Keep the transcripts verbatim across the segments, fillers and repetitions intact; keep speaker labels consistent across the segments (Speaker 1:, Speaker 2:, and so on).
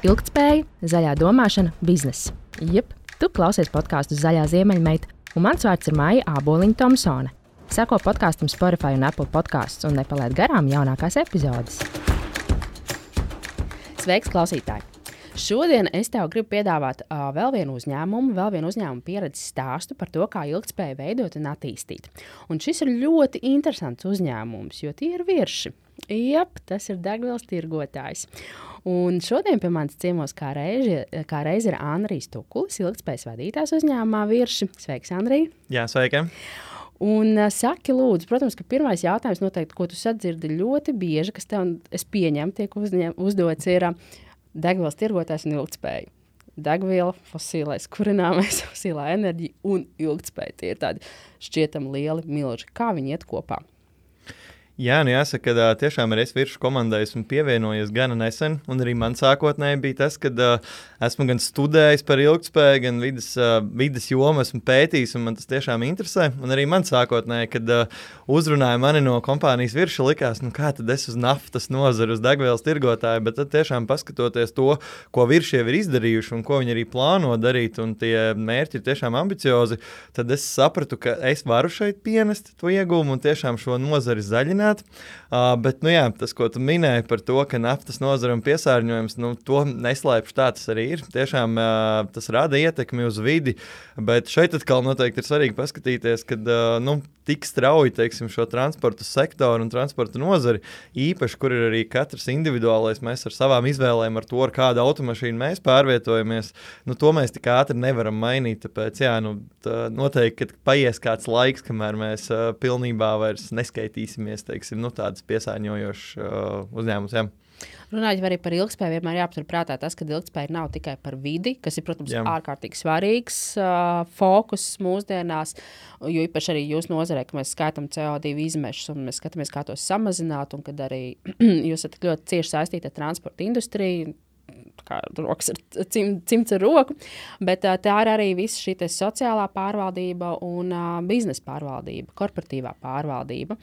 Speaker 1: Ilgtspēja, zaļā domāšana, bizness. Jep, tu klausies podkāstu Zaļā ziemeļmeita, un mans vārds ir Maija Āboliņa-Tomsone. Seko podkāstam Spotify un Apple podcasts un nepalaid garām jaunākās epizodes. Sveiks, klausītāji! Šodien es tev gribu piedāvāt uh, vēl vienu uzņēmumu, vēl vienu uzņēmumu pieredzes stāstu par to, kā ilgtspēju veidot un attīstīt. Un šis ir ļoti interesants uzņēmums, jo tie ir virši. Jep, tas ir degvielas tirgotājs. Un šodien pie manis ciemos kā reizi, kā reizi ir Andrijs Tukulis, ilgtspējas vadītājs uzņēmumā Virši. Sveiks, Andrij!
Speaker 2: Jā, sveiki!
Speaker 1: Un uh, saki, lūdzu, protams, ka pirmais jautājums noteikti, ko tu sadzirdi ļoti bieži, kas tev, es pieņemu, tiek uzņem, uzdots, ir uh, degvielas tirgotājs un ilgtspēja. Degviela, fosilais kurināmais, fosilā enerģija un ilgtspēja. Tie ir tādi šķietami lieli milži. Kā viņi iet kopā?
Speaker 2: Jā, nu jāsaka, ka tiešām arī es Viršu komandai esmu pievienojies gana nesen, un arī man sākotnēji bija tas, ka uh, esmu gan studējis par ilgtspēju, gan vidas, uh, vidas jomu esmu pētījis, un man tas tiešām interesē. Un arī man sākotnēji, kad uh, uzrunāja mani no kompānijas Virša, likās, nu kā tad es uz naftas nozaru, uz degvielas tirgotāju, bet tad tiešām paskatoties to, ko Virši jau ir izdarījuši un ko viņi arī plāno darīt, un tie mērķi ir tiešām ambiciozi, tad es sapratu, ka es varu šeit pienest to iegūmu un tiešām šo nozari zaļināt. Uh, bet, nu jā, tas, ko tu minēji par to, ka naftas nozara un piesārņojums, nu, to neslēpšu, tā tas arī ir. Tiešām uh, tas rada ietekmi uz vidi, bet šeit atkal noteikti ir svarīgi paskatīties, kad, uh, nu, tik strauji, teiksim, šo transportu sektoru un transportu nozari, īpaši, kur ir arī katrs individuālais, mēs ar savām izvēlēm, ar to, ar kādu automašīnu mēs pārvietojamies, nu, to mēs tik ātri nevaram mainīt, tāpēc, jā, nu, tā noteikti, kad paies kāds laiks, kamēr mēs uh, pilnībā vairs neskaitīsimies, teiksim, nu, tādas piesārņojošas uh, uzņēmumus, jā.
Speaker 1: Runājot arī par ilgtspēju, vienmēr jāaptur prātā tas, ka ilgtspēja nav tikai par vidi, kas ir, protams, Jā. ārkārtīgi svarīgs uh, fokus mūsdienās, jo īpaši arī jūs nozarē, ka mēs skaitam C O divi izmešus un mēs skatāmies, kā tos samazināt, un kad arī jūs esat ļoti cieši saistīti ar transporta industriju, kā rokas ar cim, cimds ar roku, bet uh, tā ir arī visa šī sociālā pārvaldība un uh, biznesa pārvaldība, korporatīvā pārvaldība.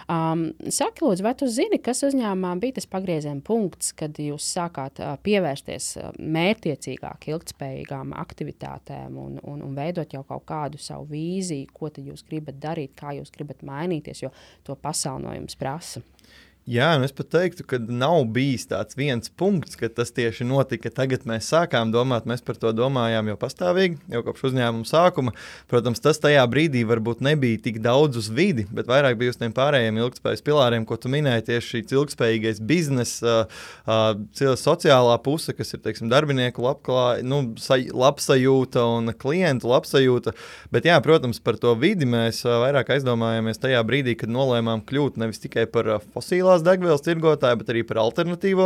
Speaker 1: Um, saki, lūdzu, vai tu zini, kas uzņēmumā bija tas pagrieziena punkts, kad jūs sākāt uh, pievērsties uh, mērķtiecīgāk ilgtspējīgām aktivitātēm un, un, un veidot jau kaut kādu savu vīziju, ko tad jūs gribat darīt, kā jūs gribat mainīties, jo to pasauli no jums prasa?
Speaker 2: Jā, un es pat teiktu, ka nav bijis tāds viens punkts, ka tas tieši notika. Tagad mēs sākām domāt, mēs par to domājām jau pastāvīgi, jau kopš uzņēmuma sākuma. Protams, tas tajā brīdī varbūt nebija tik daudz uz vidi, bet vairāk bija uz tiem pārējiem ilgtspējas pilāriem, ko tu minēji, tieši šī ilgtspējīgais bizness, uh, uh, sociālā puse, kas ir, teiksim, darbinieku labklā, nu, sa, labsajūta un klientu labsajūta. Bet jā, protams, par to vidi mēs uh, vairāk aizdomājāmies tajā brīdī, kad nolēmām kļūt nevis tikai par uh, fosilās degvielas tirgotāju, bet arī par alternatīvo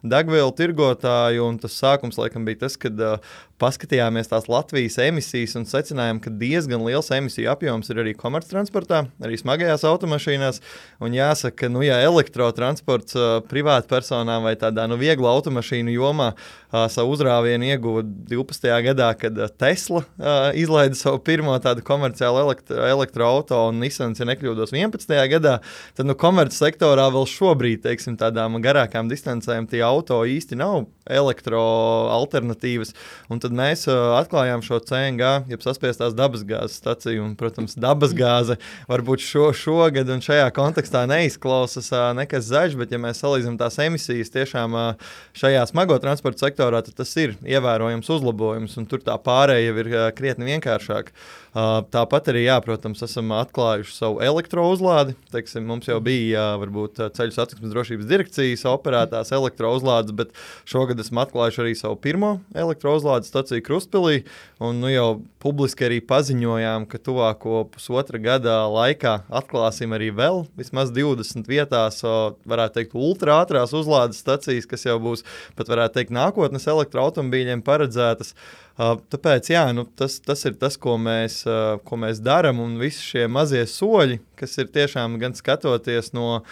Speaker 2: degvielu tirgotāju, un tas sākums laikam bija tas, kad uh, paskatījāmies tās Latvijas emisijas un secinājām, ka diezgan liels emisiju apjoms ir arī komerctransportā, arī smagajās automašīnās, un jāsaka, nu, ja elektrotransports uh, privātpersonām vai tādā, nu, vieglu automašīnu jomā uh, savu uzrāvienu ieguva divpadsmitajā gadā, kad uh, Tesla uh, izlaida savu pirmo tādu komerciālu elektro, elektroauto, un Nissans, ja nekļūdos, vienpadsmitajā gadā, tad, nu, komerc sektorā vēl šobrīd, teiksim, tādām garākām distancēm tie auto īsti nav elektroalternatīvas, un tad mēs uh, atklājām šo C N G, jeb saspiestās dabasgāzes staciju, un, protams, dabasgāze varbūt šo, šogad un šajā kontekstā neizklausas uh, nekas zaļš, bet ja mēs salīdzinām tās emisijas tiešām uh, šajā smago transporta sektorā, tad tas ir ievērojams uzlabojums, un tur tā pārēja ir uh, krietni vienkāršāk. Uh, tāpat arī, jā, protams, esam atklājuši savu elektrouzlādi. Teiksim, mums jau bija, jā, varbūt ceļu satiksmes drošības direkcijas operētās elektrouzlādes, bet šogad esam atklājuši arī savu pirmo elektrouzlādes staciju Krustpilī, un nu jau publiski arī paziņojām, ka tuvāko pusotra gada laikā atklāsim arī vēl vismaz divdesmit vietās, varētu teikt, ultra ātrās uzlādes stacijas, kas jau būs, pat varētu teikt, nākotnes elektroautomobīļiem paredzētas. Uh, tāpēc, jā, nu, tas, tas ir tas, ko mēs, uh, ko mēs daram, un visi šie mazie soļi, kas ir tiešām gan skatoties no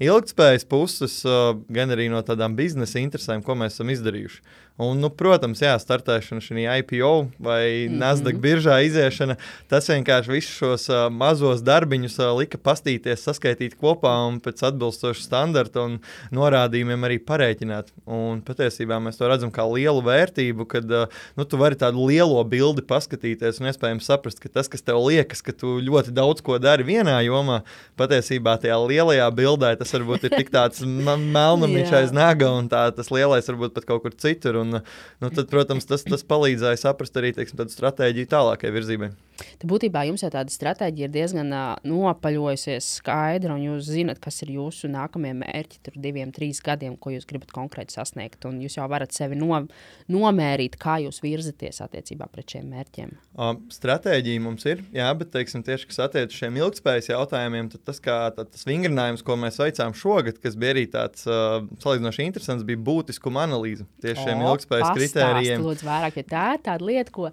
Speaker 2: ilgtspējas puses, gan arī no tādām biznesa interesēm, ko mēs esam izdarījuši. Un, nu, protams, jā, startēšana šī I P O vai mm-hmm. Nasdaq biržā iziešana, tas vienkārši visus šos uh, mazos darbiņus uh, lika pastīties, saskaitīt kopā un pēc atbilstoša standarta un norādījumiem arī parēķināt. Un patiesībā mēs to redzam kā lielu vērtību, kad uh, nu, tu vari tādu lielo bildi paskatīties un iespējams saprast, ka tas, kas tev liekas, ka tu ļoti daudz ko dari vienā jomā, patiesībā tajā lielajā bildē tas varbūt ir tik tāds melnumiņš aiz naga un tā, tas lielais varbūt pat kaut kur citur. Un, nu, tad, protams, tas, tas palīdzēja saprast arī teiksim, tādu stratēģiju tālākai virzībai.
Speaker 1: Tad būtībā jums jau tāda stratēģija ir diezgan uh, nopaļojusies skaidra, un jūs zinat, kas ir jūsu nākamie mērķi tur diviem, trīs gadiem, ko jūs gribat konkrēti sasniegt, un jūs jau varat sevi no, nomērīt, kā jūs virzaties attiecībā pret šiem mērķiem.
Speaker 2: Uh, stratēģija mums ir, jā, bet teiksim, tieši, kas attiec uz šiem ilgtspējas jautājumiem, tad tas, kā, tad tas vingrinājums, ko mēs veicām šogad, kas bija arī tāds uh, salīdzinoši interesants, bija būtiskuma analīze tieši šiem ilgtspējas ilgtspējas kritērijiem.
Speaker 1: Lūdzu, vairāk, jo tā ir tāda lieta, ko,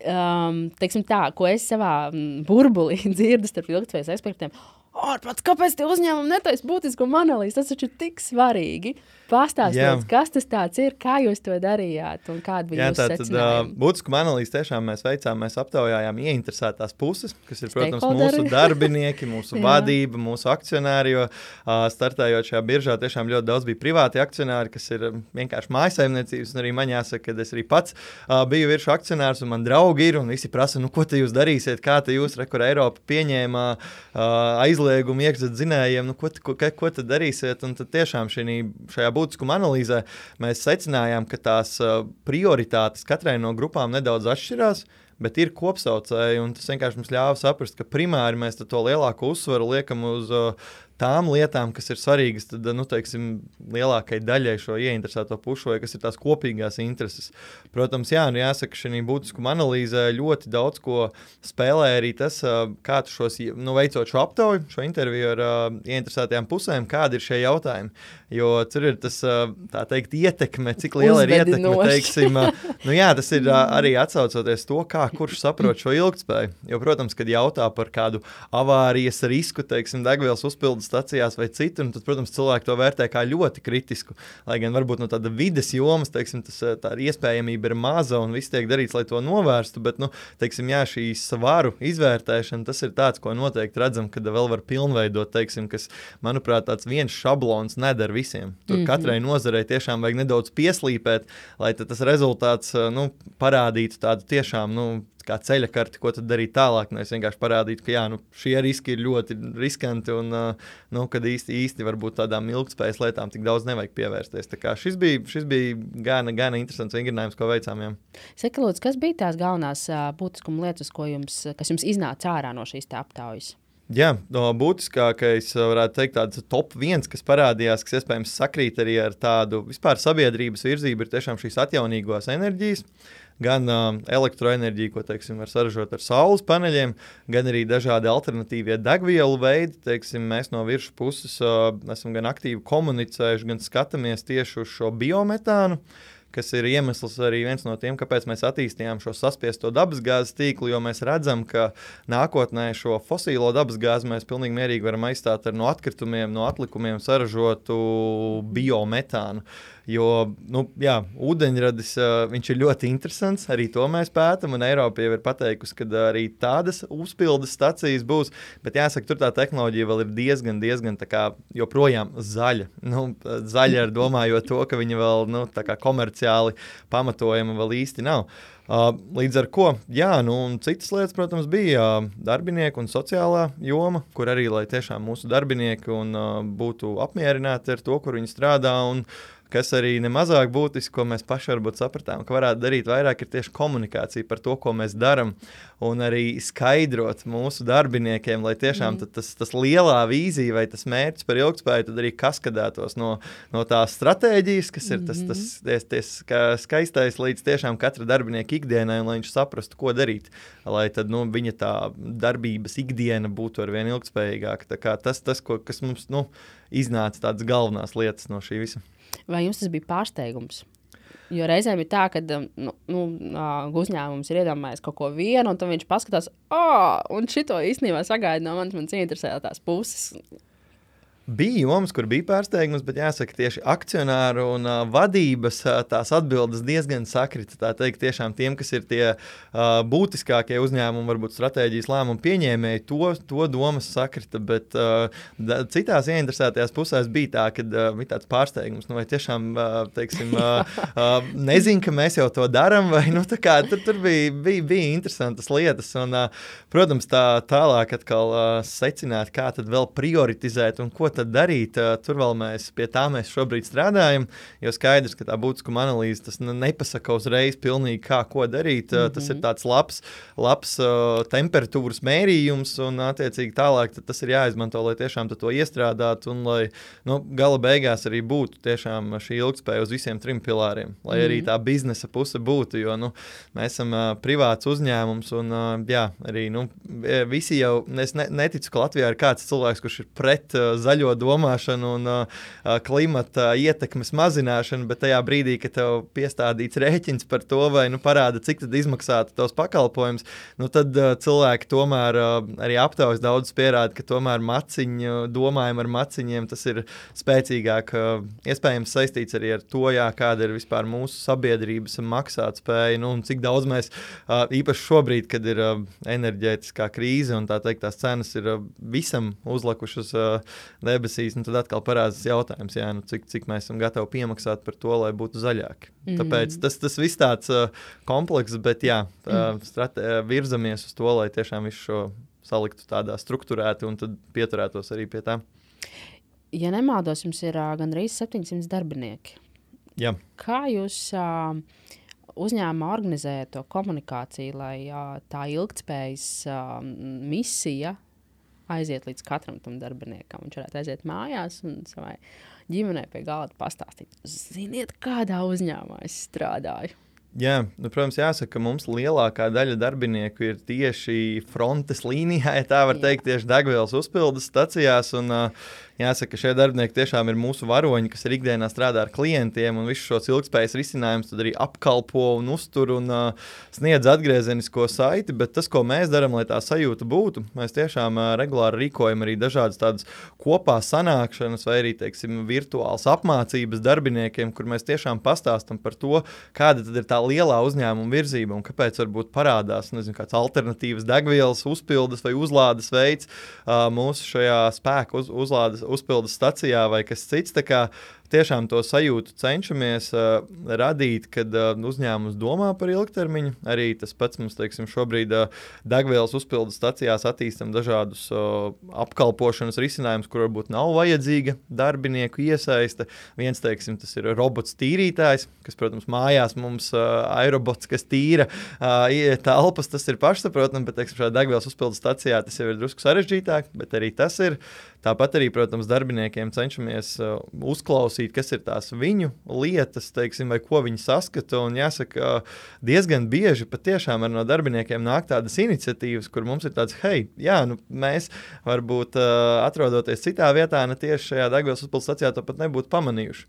Speaker 1: um, teiksim tā, ko es savā burbulī dzirdu starp ilgtspējas ekspertiem. Ārprāts, kāpēc tie uzņēmumi netaisa būtiskuma analīzi? Tas taču ir tik svarīgi. Pastāstiet, kas tas tāds ir, kā jūs to darījāt un kāda bija jūsu secinājumi?
Speaker 2: Uh, būtiskuma analīzi tiešām mēs veicām, mēs aptaujājām ieinteresētās puses, kas ir, protams, mūsu darbinieki, mūsu vadība, mūsu akcionāri, jo uh, startējot šajā biržā tiešām ļoti daudz bija privāti akcionāri, kas ir vienkārši mājsaimniecības, un arī man jāsaka, ka es arī pats uh, biju virsmu akcionārs, un man draugi ir, un visi prasa, nu, ko te jūs darīsiet, kā te jūs, re, kur Eiropa pieņēma uh, aizliegumu iekšzetzinējiem, nu, ko, ko, ko te darīsiet, un tad tiešām šī, šajā būtiskuma analīzē mēs secinājām, ka tās uh, prioritātes katrai no grupām nedaudz atšķirās, bet ir kopsaucēji, un tas vienkārši mums ļāva saprast, ka primāri mēs to lielāko uzsvaru liekam uz uh, tām lietām, kas ir svarīgas, tad, nu, teiksim, lielākai daļai šo ieinteresēto pušu, vai kas ir tās kopīgās intereses. Protams, jā, nu jāsaka, šī būtiskuma analīzē ļoti daudz ko spēlē arī tas, kā tu šos, nu, veicot šo aptauju, šo interviju ar uh, ieinteresētajām pusēm, kādi ir šie jautājumi. Jo tur ir tas, uh, tā teikt, ietekme, cik liela ir ietekme, teiksim, uh, nu jā, tas ir uh, arī atsaucoties to, kā kurš saprot šo ilgtspēju. Jo, protams, kad jautā par kādu avārijas risku, teiksim, degvielas uzpildes stacijās vai citur, un tad, protams, cilvēki to vērtē kā ļoti kritisku. Lai gan varbūt no tāda vides jomas, teiksim, tas, tā iespējamība ir maza un viss tiek darīts, lai to novērstu, bet, nu, teiksim, jā, šī svaru izvērtēšana, tas ir tāds, ko noteikti redzam, kad vēl var pilnveidot, teiksim, kas, manuprāt, tāds viens šablons nedara visiem. Tur mm-hmm. katrai nozarei tiešām vajag nedaudz pieslīpēt, lai tad tas rezultāts, nu, parādītu tādu tiešām, nu, kā ceļa karti, ko tad darīt tālāk. Nu, es vienkārši parādītu, ka jā, nu, šie riski ir ļoti riskanti un, uh, nu, kad īsti, īsti varbūt tādām ilgtspējas lietām tik daudz nevajag pievērsties. Tā kā šis bija, šis bija gana, gana interesants vingrinājums, ko veicām. Jā.
Speaker 1: Saka, lūdzu, kas bija tās galvenās uh, būtiskuma lietas, ko jums, kas jums iznāca ārā no šīs tā aptaujas?
Speaker 2: Jā, no būtiskākais, varētu teikt, tāds top viens, kas parādījās, kas iespējams sakrīt arī ar tādu vispār sabiedrības virzību, ir tiešām šīs atjaunīgās enerģijas. Gan uh, elektroenerģija, ko, teiksim, var saražot ar saules paneļiem, gan arī dažādi alternatīvie degvielu veidi. Teiksim, mēs no virsmas puses uh, esam gan aktīvi komunicējuši, gan skatāmies tieši uz šo biometānu, kas ir iemesls arī viens no tiem, kāpēc mēs attīstījām šo saspiesto dabasgāzes tīklu, jo mēs redzam, ka nākotnē šo fosīlo dabasgāzi mēs pilnīgi mierīgi varam aizstāt ar no atkritumiem, no atlikumiem saražotu biometānu. Jo, nu, jā, ūdeņradis, uh, viņš ir ļoti interesants, arī to mēs pētam, un Eiropa jau ir pateikusi, ka arī tādas uzpildes stacijas būs, bet jāsaka, tur tā tehnoloģija vēl ir diezgan, diezgan tā kā joprojām zaļa. Nu, zaļa ar domājot to, ka viņa vēl, nu, tā kā komerciāli pamatojama vēl īsti nav. Uh, līdz ar ko, jā, nu, un citas lietas, protams, bija uh, darbinieku un sociālā joma, kur arī, lai tiešām mūsu darbinieki un, uh, būtu apmierināti ar to, kur viņi strādā, un kas arī nemazāk būtiski, ko mēs paši varbūt sapratām, ka varētu darīt vairāk, ir tieši komunikācija par to, ko mēs daram, un arī skaidrot mūsu darbiniekiem, lai tiešām mm. tas, tas lielā vīzija vai tas mērķis par ilgtspēju tad arī kaskadētos no, no tās stratēģijas, kas ir tas, tas, tas, tas skaistais līdz tiešām katra darbinieka ikdienai, un lai viņš saprastu, ko darīt, lai tad, nu, viņa tā darbības ikdiena būtu arvien ilgtspējīgāka. Tā kā tas, tas ko, kas mums, nu, iznāca tādas galvenās lietas no šī visa.
Speaker 1: Vai jums tas bija pārsteigums? Jo reizēm ir tā, ka nu, nu, uzņēmums ir iedomājies kaut ko vienu, un tad viņš paskatās, oh, un šito īstenībā sagaida no manis, manas interesētās puses.
Speaker 2: Bija jomas, kur bija pārsteigums, bet jāsaka, tieši akcionāru un uh, vadības uh, tās atbildes diezgan sakrita. Tā teikt, tiešām tiem, kas ir tie uh, būtiskākie uzņēmumi, varbūt stratēģijas lēmumu pieņēmēji, to, to domas sakrita, bet uh, da, citās ieinteresētajās pusēs bija tā, ka uh, bija tāds pārsteigums, nu vai tiešām, uh, teiksim, uh, uh, nezinu, ka mēs jau to darām, vai nu tā kā tur, tur bija, bija, bija interesantas lietas, un, uh, protams, tā tālāk atkal uh, secināt, kā tad vēl prioritizēt un ko tad darīt. Tur vēl mēs pie tā mēs šobrīd strādājam, jo skaidrs, ka tā būtiskuma analīze tas nepasaka uzreiz pilnīgi kā, ko darīt. Mm-hmm. Tas ir tāds labs, labs uh, temperatūras mērījums un attiecīgi tālāk tas ir jāizmanto, lai tiešām to iestrādātu un lai nu, gala beigās arī būtu tiešām šī ilgtspēja uz visiem trim pilāriem, lai mm-hmm. arī tā biznesa puse būtu, jo nu, mēs esam uh, privāts uzņēmums un uh, jā, arī nu, visi jau, es ne, neticu, ka Latvijā ir kāds cilvēks, kurš ir pret uh, zaļo domāšanu un uh, klimata ietekmes mazināšanu, bet tajā brīdī, kad tev piestādīts rēķins par to vai nu, parāda, cik tad izmaksātu tos pakalpojums, nu, tad uh, cilvēki tomēr uh, arī aptaujas daudz pierāda, ka tomēr maciņu, domājam ar maciņiem, tas ir spēcīgāk, uh, iespējams saistīts arī ar to, jā, kāda ir vispār mūsu sabiedrības maksātspēja, nu, un cik daudz mēs uh, īpaši šobrīd, kad ir uh, enerģētiskā krīze un tā teikt, tās cenas ir uh, visam uzlikušas uh, debesīs, nu tad atkal parādās jautājums, jā, nu cik, cik mēs esam gatavi piemaksāt par to, lai būtu zaļāki. Mm. Tāpēc tas, tas viss tāds uh, komplekss, bet jā, tā, mm. strate, virzamies uz to, lai tiešām visu šo saliktu tādā strukturēti un tad pieturētos arī pie tā.
Speaker 1: Ja nemaldos, jums ir uh, gandrīz septiņsimt darbinieki.
Speaker 2: Jā.
Speaker 1: Kā jūs uh, uzņēmumā organizējat to komunikāciju, lai uh, tā ilgtspējas uh, misija aiziet līdz katram tam darbiniekam. Viņš varētu aiziet mājās un savai ģimenei pie galda pastāstīt. Ziniet, kādā uzņēmumā es strādāju?
Speaker 2: Jā, nu, protams, jāsaka, ka mums lielākā daļa darbinieku ir tieši frontes līnijā, ja tā var Jā. teikt, tieši degvielas uzpildes stacijās. Un, uh, jāsaka, ka šie darbinieki tiešām ir mūsu varoņi, kas ir ikdienā strādā ar klientiem un visu šos ilgtspējas risinājumus tad arī apkalpo un uztur un uh, sniedz atgriezenisko saiti. Bet tas, ko mēs darām, lai tā sajūta būtu, mēs tiešām uh, regulāri rīkojam arī dažādas tādas kopā sanākšanas vai arī, teiksim, virtuāls apmācības darbiniekiem, kur mēs tiešām pastāstam par to, kāda tad ir tā lielā uzņēmuma virzība un kāpēc varbūt parādās, nezinu, kāds alternatīvas degvielas uzpildes vai uzlādes veids uh, mūsu šajā spēku uz, uzlādes uzpildes stacijā vai kas cits. Tā kā tiešām to sajūtu cenšamies uh, radīt, kad uh, uzņēmums domā par ilgtermiņu. Arī tas pats mums, teiksim, šobrīd uh, degvielas uzpildes stacijās attīstam dažādus uh, apkalpošanas risinājumus, kur varbūt nav vajadzīga darbinieku iesaiste. Viens, teiksim, tas ir robots tīrītājs, kas, protams, mājās mums uh, aerobots, kas tīra uh, telpas, tas ir pašsaprotami, bet, teiksim, šādā degvielas uzpildes stacijā tas jau ir drusku sarežģītāk, bet arī tas ir. Tāpat arī, protams, darbiniekiem cenšamies uh, uzklausīt, kas ir tās viņu lietas, teiksim, vai ko viņi saskata. Un jāsaka, diezgan bieži patiešām no darbiniekiem nāk tādas iniciatīvas, kur mums ir tāds, hei, jā, nu, mēs varbūt uh, atrodoties citā vietā, ne tieši šajā degvielas uzpildes stacijā, to pat nebūtu pamanījuši.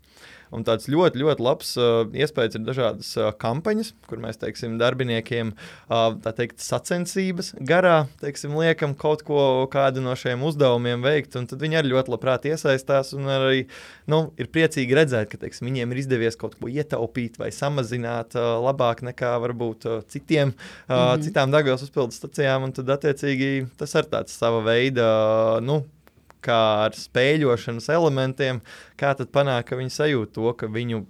Speaker 2: Un tāds ļoti, ļoti labs uh, iespējas ir dažādas uh, kampaņas, kur mēs, teiksim, darbiniekiem, uh, tā teikt, sacensības garā, teiksim, liekam kaut ko, kādu no šiem uzdevumiem veikt, un tad viņi arī ļoti labprāt iesaistās un arī, nu, ir priecīgi redzēt, ka, teiksim, viņiem ir izdevies kaut ko ietaupīt vai samazināt uh, labāk nekā varbūt uh, citiem, uh, mm-hmm. citām degvielas uzpildes stacijām, un tad, attiecīgi, tas ir tāds sava veida, uh, nu, kā ar spēļošanas elementiem, kā tad panāk, ka viņi sajūt to, ka viņu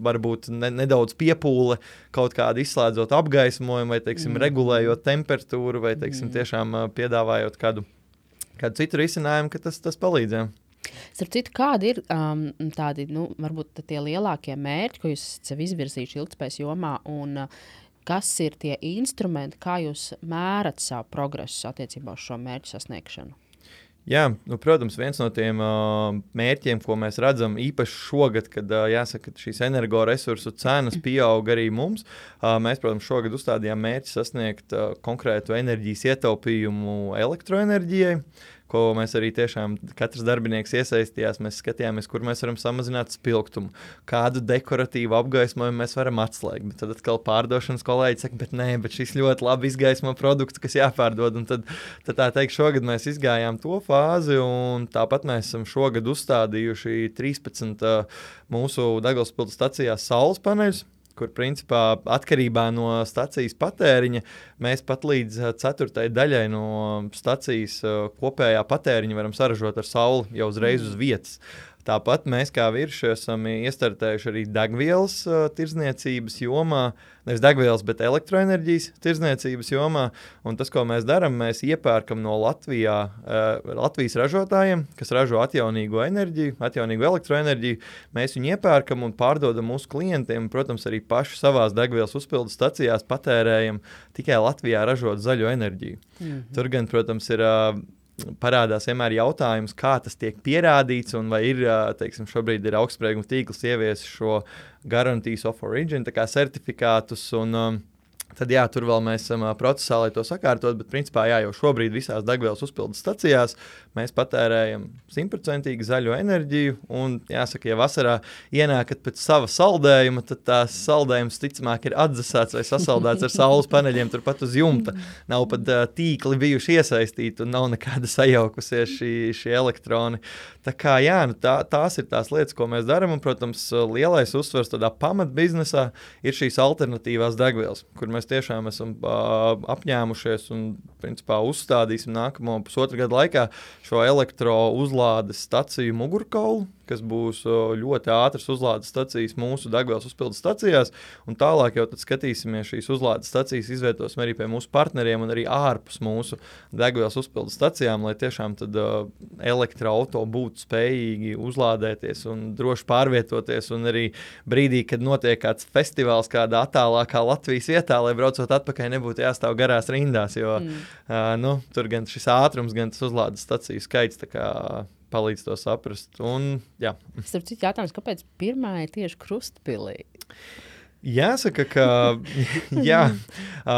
Speaker 2: varbūt ne, nedaudz piepūle kaut kādu izslēdzot apgaismojumu vai, teiksim, mm. regulējot temperatūru vai, teiksim, tiešām piedāvājot kādu, kādu citu risinājumu, ka tas, tas palīdz.
Speaker 1: Starp citu, kādi ir um, tādi, nu, varbūt tie lielākie mērķi, ko jūs sev izvirzījuši ilgtspējas jomā un uh, kas ir tie instrumenti, kā jūs mērat savu progresu attiecībā uz šo mērķu sasniegšanu?
Speaker 2: Jā, nu, protams, viens no tiem uh, mērķiem, ko mēs redzam īpaši šogad, kad uh, jāsaka, ka šīs energoresursu cenas pieaug arī mums, uh, mēs, protams, šogad uzstādījām mērķi sasniegt uh, konkrētu enerģijas ietaupījumu elektroenerģijai, ko mēs arī tiešām katrs darbinieks iesaistījās. Mēs skatījāmies, kur mēs varam samazināt spilgtumu, kādu dekoratīvu apgaismojumu mēs varam atslēgt. Bet tad atkal pārdošanas kolēģi saka, bet nē, bet šis ļoti labi izgaismo produktu, kas jāpārdod. Un tad, tad tā teikt, šogad mēs izgājām to fāzi, un tāpat mēs esam šogad uzstādījuši trīspadsmit uh, mūsu degvielas stacijās saules paneļus, kur principā atkarībā no stacijas patēriņa mēs pat līdz ceturtajai daļai no stacijas kopējā patēriņa varam saražot ar sauli jau uzreiz uz vietas. Tāpat mēs kā virši esam iestartējuši arī degvielas uh, tirdzniecības jomā, nevis degvielas, bet elektroenerģijas tirdzniecības jomā. Un tas, ko mēs darām, mēs iepērkam no Latvijā, uh, Latvijas ražotājiem, kas ražo atjaunīgo enerģiju, atjaunīgo elektroenerģiju. Mēs viņu iepērkam un pārdodam mūsu klientiem, protams, arī paši savās degvielas uzpildes stacijās patērējam tikai Latvijā ražot zaļo enerģiju. Mm-hmm. Tur gan, protams, ir... Uh, parādās vienmēr jautājums, kā tas tiek pierādīts, un vai ir, teiksim, šobrīd ir augstsprieguma tīkls ievies šo Guarantees of Origin, tā kā certifikātus, un um, tad jā, tur vēl mēs esam uh, procesā, lai to sakārtot, bet principā jā, jau šobrīd visās degvielas uzpildes stacijās mēs patērējam simtprocentīgi zaļo enerģiju, un jāsaka, ja vasarā ienākat pēc sava saldējuma, tad tās saldējums ticamāk ir atdzesāts vai sasaldēts ar saules paneļiem turpat uz jumta. Nav pat uh, tīkli bijuši iesaistīti un nav nekāda sajaukusies šī, šī elektroni. Tā kā jā, nu tā, tās ir tās lietas, ko mēs darām, un, protams, lielais uzsvars tādā pamatbiznesā ir šīs alternatīvās degvielas, kur mēs tiešām esam uh, apņēmušies un, principā, uzstādīsim nākamo pusotru gadu laikā šo elektro uzlādes staciju mugurkaulu, kas būs ļoti ātras uzlādes stacijas mūsu degvielas uzpildes stacijās, un tālāk jau tad skatīsimies šīs uzlādes stacijas, izvietosim arī pie mūsu partneriem un arī ārpus mūsu degvielas uzpildes stacijām, lai tiešām tad uh, elektroauto būtu spējīgi uzlādēties un droši pārvietoties, un arī brīdī, kad notiek kāds festivāls kādā attālākā Latvijas vietā, lai braucot atpakaļ nebūtu jāstāv garās rindās, jo mm. uh, nu, tur gan šis ātrums, gan tas uzlādes staciju skaits tā kā palīdz to saprast. Un, jā.
Speaker 1: Starp citu jautājums, kāpēc pirmā ir tieši Krustpilī?
Speaker 2: Jāsaka, ka jā,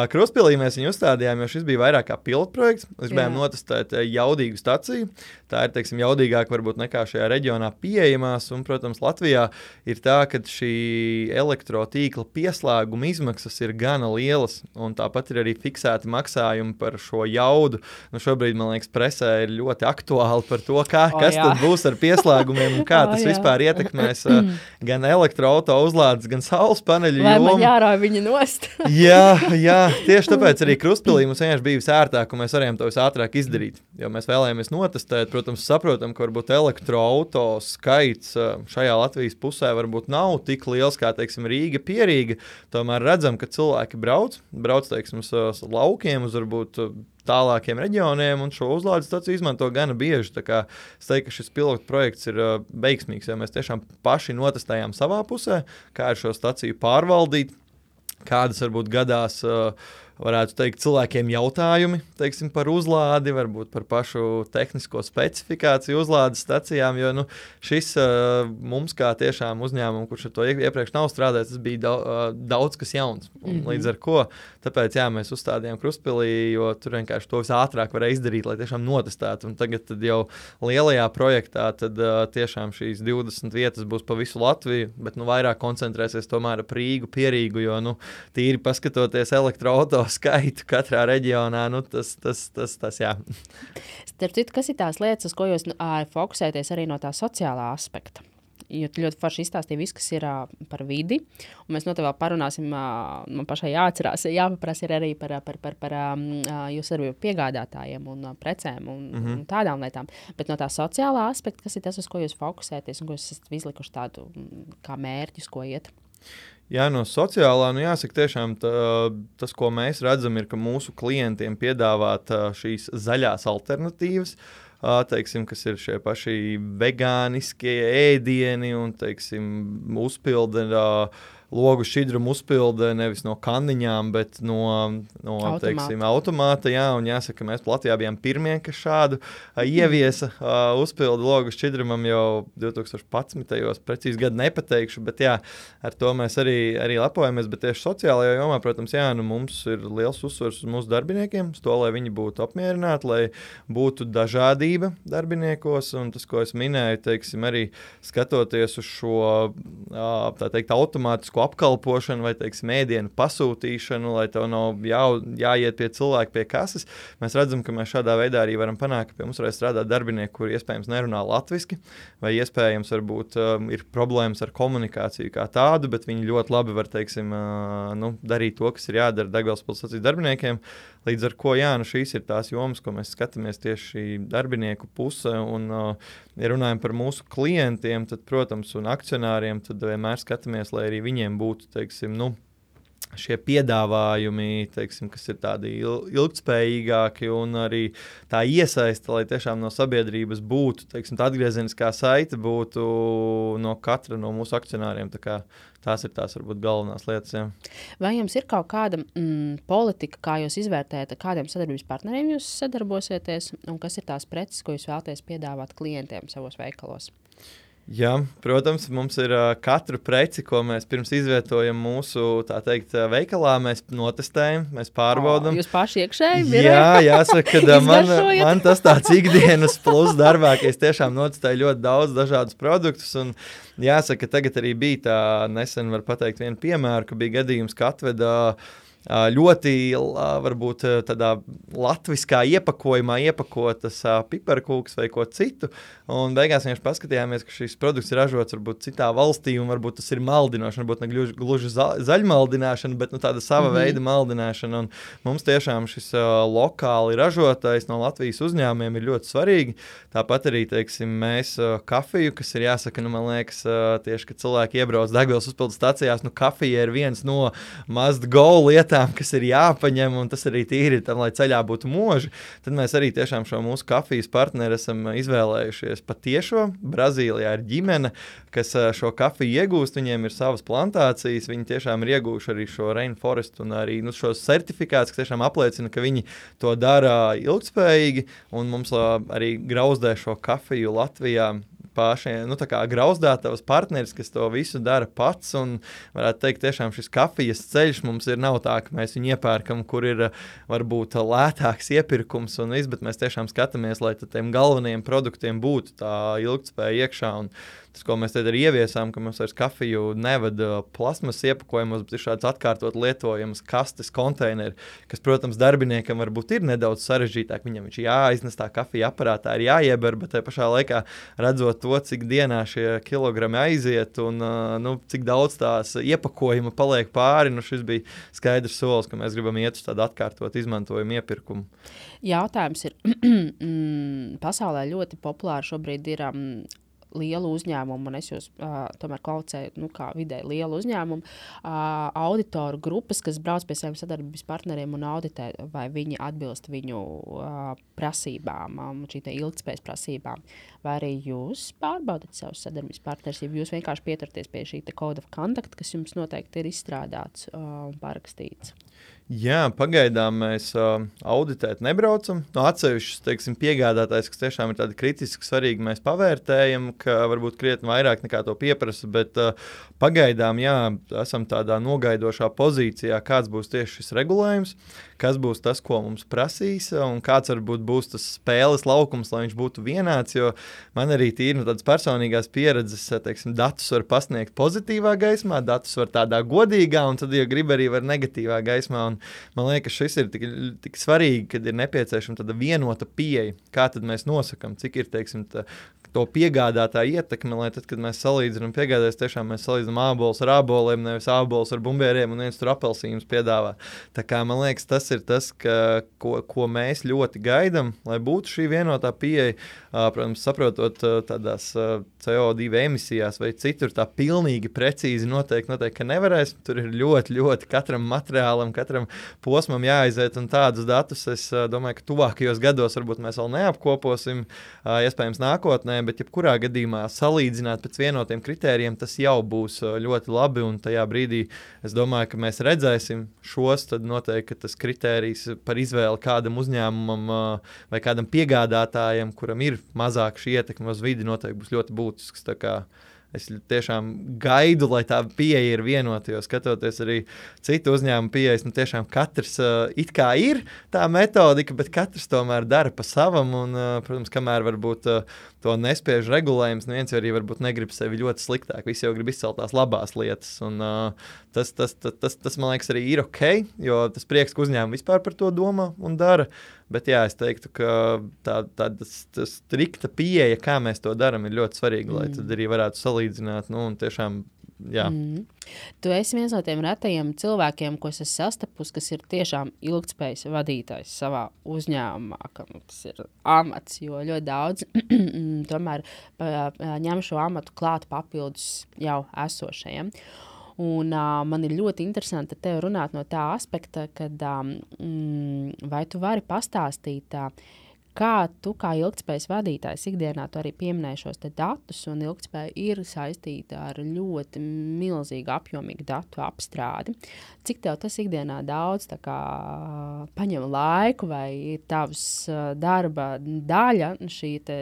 Speaker 2: Krustpilī mēs viņu uzstādījām, jo šis bija vairāk kā pilotprojekts. Mēs gribējām notestēt jaudīgu staciju. Tā ir, teiksim, jaudīgāk varbūt nekā šajā reģionā pieejamās. Un, protams, Latvijā ir tā, ka šī elektrotīkla pieslēguma izmaksas ir gana lielas. Un tāpat ir arī fiksēti maksājumi par šo jaudu. Nu, šobrīd, man liekas, presē ir ļoti aktuāli par to, kā, o, kas jā. Tad būs ar pieslēgumiem un kā o, tas jā. Vispār ietekmēs uh, gan elektroauto uzlādes, gan saules paneļu.
Speaker 1: Vai man jārauj viņa nost?
Speaker 2: jā, jā, tieši tāpēc arī Krustpilī mums vienkārši bija visērtāk, un mēs varējām to visātrāk izdarīt. Jo mēs vēlējāmies notestēt, protams, saprotam, ka varbūt elektroauto skaits šajā Latvijas pusē varbūt nav tik liels, kā, teiksim, Rīga, Pierīga. Tomēr redzam, ka cilvēki brauc, brauc, teiksim, uz laukiem, uz varbūt tālākiem reģioniem, un šo uzlādes staciju izmanto gana bieži. Tā kā es teiktu, ka šis pilotu projekts ir uh, veiksmīgs, jo mēs tiešām paši notestējām savā pusē, kā ir šo staciju pārvaldīt, kādas varbūt gadās, uh, varētu teikt, cilvēkiem jautājumi, teiksim, par uzlādi, varbūt par pašu tehnisko specifikāciju uzlādes stacijām, jo nu, šis uh, mums kā tiešām uzņēmumu, kurš ar to iepriekš nav strādājis, tas bija daudz, uh, daudz kas jauns. Un, mm-hmm. Līdz ar ko, tāpēc jā, mēs uzstādījām Krustpilī, jo tur vienkārši to visātrāk varēja izdarīt, lai tiešām notestētu. Un tagad tad jau lielajā projektā tad uh, tiešām šīs divdesmit vietas būs pa visu Latviju, bet nu vairāk koncentrēsies tomēr ap Rīgu, Pierīgu, jo nu tīri paskatoties elektroauto skaitu katrā reģionā, nu tas, tas, tas, tas jā.
Speaker 1: Starp citu, kas ir tās lietas, uz ko jūs ā, fokusēties arī no tā sociālā aspekta? Jo tu ļoti forši izstāstīji visu, kas ir ā, par vidi, un mēs noteikti vēl parunāsim, ā, man pašai jāatcerās, jāpaprasa ir arī par, par, par, par ā, jūsu arī piegādātājiem un ā, precēm un, mm-hmm. un tādām lietām. Bet no tā sociālā aspekta, kas ir tas, uz ko jūs fokusēties un ko jūs esat izlikuši tādu kā mērķis, ko iet?
Speaker 2: Jā, no sociālā, nu jāsaka tiešām tā, tas, ko mēs redzam, ir, ka mūsu klientiem piedāvāt šīs zaļās alternatīvas, teiksim, kas ir šie paši vegāniskie ēdieni un, teiksim, uzpilda logu šķidrumu uzpilde nevis no kanniņām, bet no, no
Speaker 1: Automāta.
Speaker 2: teiksim, automāta. Jā, un jāsaka, mēs Latvijā bijām pirmie, kas šādu uh, ieviesa uh, uzpildu logu šķidrumam jau divi tūkstoši padsmitajos precīzi gadu nepateikšu, bet jā, ar to mēs arī, arī lepojamies. Bet tieši sociālajā jomā, protams, jā, nu mums ir liels uzsvars uz mūsu darbiniekiem, uz to, lai viņi būtu apmierināti, lai būtu dažādība darbiniekos. Un tas, ko es minēju, teiksim, arī skatoties uz šo tā teikt, automātisku apkalpošanu vai teiksim, ēdienu pasūtīšanu, lai tev nav jā, jāiet pie cilvēka pie kases, mēs redzam, ka mēs šādā veidā arī varam panākt, ka pie mums varēs strādāt darbinieki, kuri iespējams nerunā latviski, vai iespējams varbūt um, ir problēmas ar komunikāciju kā tādu, bet viņi ļoti labi var teiksim, uh, nu, darīt to, kas ir jādara Daugavpils pilsētas darbiniekiem. Līdz ar ko, jā, nu šīs ir tās jomas, ko mēs skatāmies tieši darbinieku puse, un, uh, ja runājam par mūsu klientiem, tad, protams, un akcionāriem, tad vienmēr skatāmies, lai arī viņiem būtu, teiksim, nu, šie piedāvājumi, teiksim, kas ir tādi ilgtspējīgāki un arī tā iesaista, lai tiešām no sabiedrības būtu, teiksim, tā atgriezeniskā saite būtu no katra no mūsu akcionāriem. Tā kā tās ir tās, varbūt, galvenās lietas. Jā.
Speaker 1: Vai jums ir kaut kāda mm, politika, kā jūs izvērtējat, kādiem sadarbības partneriem jūs sadarbosieties, un kas ir tās preces, ko jūs vēlaties piedāvāt klientiem savos veikalos?
Speaker 2: Jā, protams, mums ir uh, katru preci, ko mēs pirms izvietojam mūsu, tā teikt, veikalā, mēs notestējam, mēs pārbaudam.
Speaker 1: O, jūs paši iekšēji?
Speaker 2: Jā, jāsaka, ka man, man tas tāds ikdienas plus darbā, ka es tiešām notestēju ļoti daudz dažādus produktus, un jāsaka, tagad arī bija tā, nesen var pateikt vienu piemēru, ka bija gadījums, ka atveda ļoti, varbūt, tādā latviskā iepakojumā iepakotas piparkūks vai ko citu, un beigās vienkārši paskatījāmies, ka šis produkts ir ražots varbūt citā valstī, un varbūt tas ir maldinošana, varbūt ne gluži, gluži za, zaļmaldināšana, bet nu, tāda sava mm-hmm. veida maldināšana, un mums tiešām šis uh, lokāli ražotais no Latvijas uzņēmumiem ir ļoti svarīgi. Tāpat arī, teiksim, mēs uh, kafiju, kas ir jāsaka, nu, man liekas, uh, tieši, kad cilvēki iebrauc Daugavpils uzpildes stacijās, nu, kafija ir viens no must go lietām, kas ir jāpaņem, un tas arī tīri tam, lai ceļā būtu mūži. Tad mēs arī tiešām šo mūsu kafijas partneri esam izvēlējušies patiešo. Brazīlijā ir ģimene, kas šo kafiju iegūst, viņiem ir savas plantācijas, viņi tiešām ir iegūši arī šo rainforest un arī nu, šos certifikātus, kas tiešām apliecina, ka viņi to dara ilgtspējīgi, un mums arī grauzdē šo kafiju Latvijā pašiem, nu tā kā grauzdētavas partneris, kas to visu dara pats, un varētu teikt, tiešām šis kafijas ceļš mums ir nav tā, ka mēs viņu iepērkam, kur ir varbūt lētāks iepirkums un viss, bet mēs tiešām skatāmies, lai tiem galvenajiem produktiem būtu tā ilgtspēja iekšā, un tas, ko mēs tad arī ieviesām, ka mums vairs kafiju nevada plasmas iepakojumos, bet ir šāds atkārtot lietojams kastes konteineri, kas, protams, darbiniekam varbūt ir nedaudz sarežģītāk, viņam viņš jāiznes tā kafija aparātā, ir jāieber, bet tajā pašā laikā redzot to, cik dienā šie kilogrami aiziet un nu, cik daudz tās iepakojuma paliek pāri, nu šis bija skaidrs solis, ka mēs gribam iet uz tādu atkārtot izmantojumu iepirkumu.
Speaker 1: Jautājums ir, pasaulē ļoti populāri šobrīd ir um, lielu uzņēmumu, un es jūs uh, tomēr kvalificēju, nu, kā vidēji lielu uzņēmumu, uh, auditoru grupas, kas brauc pie saviem sadarbības partneriem un auditē, vai viņi atbilst viņu uh, prasībām, um, šī te ilgtspējas prasībām. Vai arī jūs pārbaudat savus sadarbības partnerus, ja jūs vienkārši pieturties pie šī te code of conduct, kas jums noteikti ir izstrādāts uh, un parakstīts?
Speaker 2: Jā, pagaidām mēs uh, auditēt nebraucam. No atsevišķas, teiksim, piegādātājs, kas tiešām ir tādi kritiski svarīgi, mēs pavērtējam, ka varbūt krietni vairāk nekā to pieprasa, bet uh, pagaidām, jā, esam tādā nogaidošā pozīcijā, kāds būs tieši šis regulējums, kas būs tas, ko mums prasīs, un kāds varbūt būs tas spēles laukums, lai viņš būtu vienāds, jo man arī tīri no tādas personīgās pieredzes, teiksim, datus var pasniegt pozitīvā gaismā, datus var tādā godīgā, un tad, ja grib, arī var negatīvā gaismā, un man liekas, šis ir tik, tik svarīgi, kad ir nepieciešama tāda vienota pieeja, kā tad mēs nosakam, cik ir, teiksim, tā, to piegādātā ietekme, lai tad, kad mēs salīdzinām piegādājas, tiešām mēs salīdzinām ābolus ar āboliem, nevis ābolus ar bumbieriem un viens tur apelsīnus piedāvā. Tā kā man liekas, tas ir tas, ka, ko, ko mēs ļoti gaidam, lai būtu šī vienotā pieeja, protams, saprotot tādās C O divi emisijās vai citur tā pilnīgi precīzi noteikti, noteikti, ka nevarēs. Tur ir ļoti, ļoti katram materiālam, katram posmam jāaiziet, un tādus datus es domāju, ka tuvākajos gados varbūt mēs vēl neapkoposim, iespējams nākotnē, bet jebkurā gadījumā salīdzināt pēc vienotiem kritērijiem, tas jau būs ļoti labi, un tajā brīdī es domāju, ka mēs redzēsim šos, tad noteikti, ka tas kritērijs par izvēli kādam uzņēmumam vai kādam piegādātājam, kuram ir mazāk šī ietekme uz vidi, noteikti būs ļoti būtisks. Tā kā es tiešām gaidu, lai tā pieeja ir vienota, jo skatoties arī citu uzņēmumu pieejas, nu tiešām katrs uh, it kā ir tā metodika, bet katrs tomēr dara pa savam, un, uh, protams, kamēr varbūt uh, to nespiež regulējums, neviens arī varbūt negrib sevi ļoti sliktāk, visi jau grib izcelt tās labās lietas, un uh, tas, tas, tas, tas, tas, man liekas, arī ir ok, jo tas prieks, ka uzņēmumi vispār par to domā un dara. Bet jā, es teiktu, ka tā, tā tā strikta pieeja, kā mēs to darām, ir ļoti svarīga, mm. lai tad arī varētu salīdzināt. Nu, un tiešām, jā.
Speaker 1: Mm. Tu esi viens no tiem retajiem cilvēkiem, ko es esmu sastapus, kas ir tiešām ilgtspējas vadītājs savā uzņēmumā, kam tas ir amats, jo ļoti daudz tomēr ņem šo amatu klāt papildus jau esošajiem. Un uh, man ir ļoti interesanti tev runāt no tā aspekta, kad um, vai tu vari pastāstīt, uh, kā tu kā ilgtspējas vadītājs ikdienā tu arī pieminēji šos te datus, un ilgtspēja ir saistīta ar ļoti milzīgu apjomīgu datu apstrādi. Cik tev tas ikdienā daudz tā kā paņem laiku, vai ir tavs uh, darba daļa, šī te,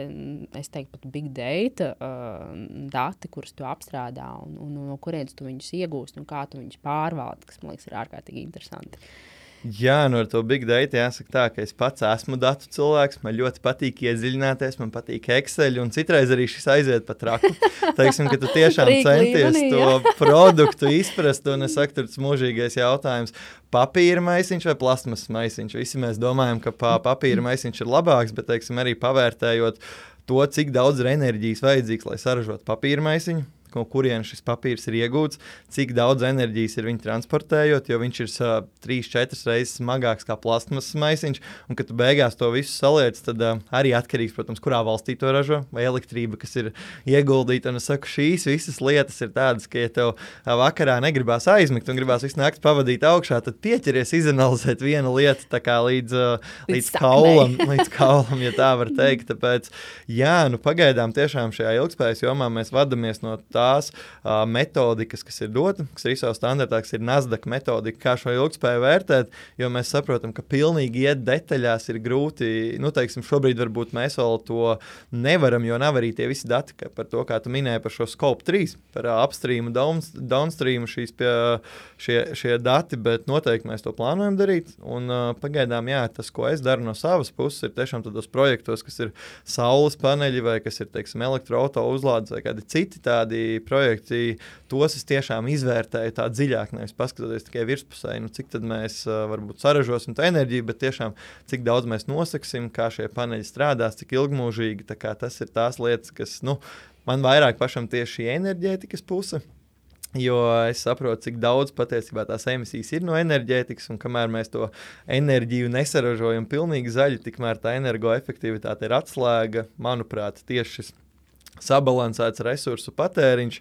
Speaker 1: es teiktu pat big data uh, dati, kurus tu apstrādā, un, un, un no kurienes tu viņus iegūst, un kā tu viņus pārvaldi, kas, man liekas, ir ārkārtīgi interesanti.
Speaker 2: Jā, nu ar to big data jāsaka tā, ka es pats esmu datu cilvēks, man ļoti patīk iedziļināties, man patīk Excel, un citreiz arī šis aiziet pa traku. Teiksim, ka tu tiešām centies to produktu izprast, un es saku, tur tas mūžīgais jautājums, papīra maisiņš vai plasmas maisiņš. Visi mēs domājam, ka papīra maisiņš ir labāks, bet, teiksim, arī pavērtējot to, cik daudz ir enerģijas vajadzīgs, lai saražot papīra maisiņu, no kurien šis papīrs ir iegūts, cik daudz enerģijas ir viņu transportējot, jo viņš ir uh, trīs četras reizes smagāks kā plastmasas maisiņš, un kad tu beigās to visu saliec, tad uh, arī atkarīgs, protams, kurā valstī to ražo, vai elektrība, kas ir ieguldīta, un es saku, šīs visas lietas ir tādas, ka ja tev uh, vakarā negribās aizmigt un gribās visu nakti pavadīt augšā, tad pieķeries izanalizēt vienu lietu tā kā līdz, uh, līdz, līdz kaulam, līdz kaulam, ja tā var teikt, tāpēc, jā, nu pagaidām tiešām šajā ilgtspējas jomā mēs vadamies no tā, tās uh, metodikas, kas ir dota, kas ir I S O standartā, kas ir Nasdaq metodika, kā šo ilgtspēju vērtēt, jo mēs saprotam, ka pilnīgi iet detaļās ir grūti, nu, teiksim, šobrīd varbūt mēs vēl to nevaram, jo nav arī tie visi dati, ka par to, kā tu minēji par šo Scope trīs, par uh, upstream, down, downstream šīs pie, šie, šie dati, bet noteikti mēs to plānojam darīt, un uh, pagaidām, jā, tas, ko es daru no savas puses, ir tiešām tādos projektos, kas ir saules paneļi, vai kas ir, teiksim, elektroauto uzlādes, vai kādi citi tādi projekti, tos es tiešām izvērtēju tā dziļāk, nevis paskatoties tikai virspusē, nu cik tad mēs uh, varbūt saražosim tā enerģiju, bet tiešām cik daudz mēs nosaksim, kā šie paneļi strādās, cik ilgmūžīgi, tā kā tas ir tās lietas, kas, nu, man vairāk pašam tieši šī enerģētikas puse, jo es saprotu, cik daudz patiesībā tās emisijas ir no enerģētikas, un kamēr mēs to enerģiju nesaražojam pilnīgi zaļi, tikmēr tā energoefektivitāte ir atslēga, manuprāt, tieši šis sabalansēts resursu patēriņš,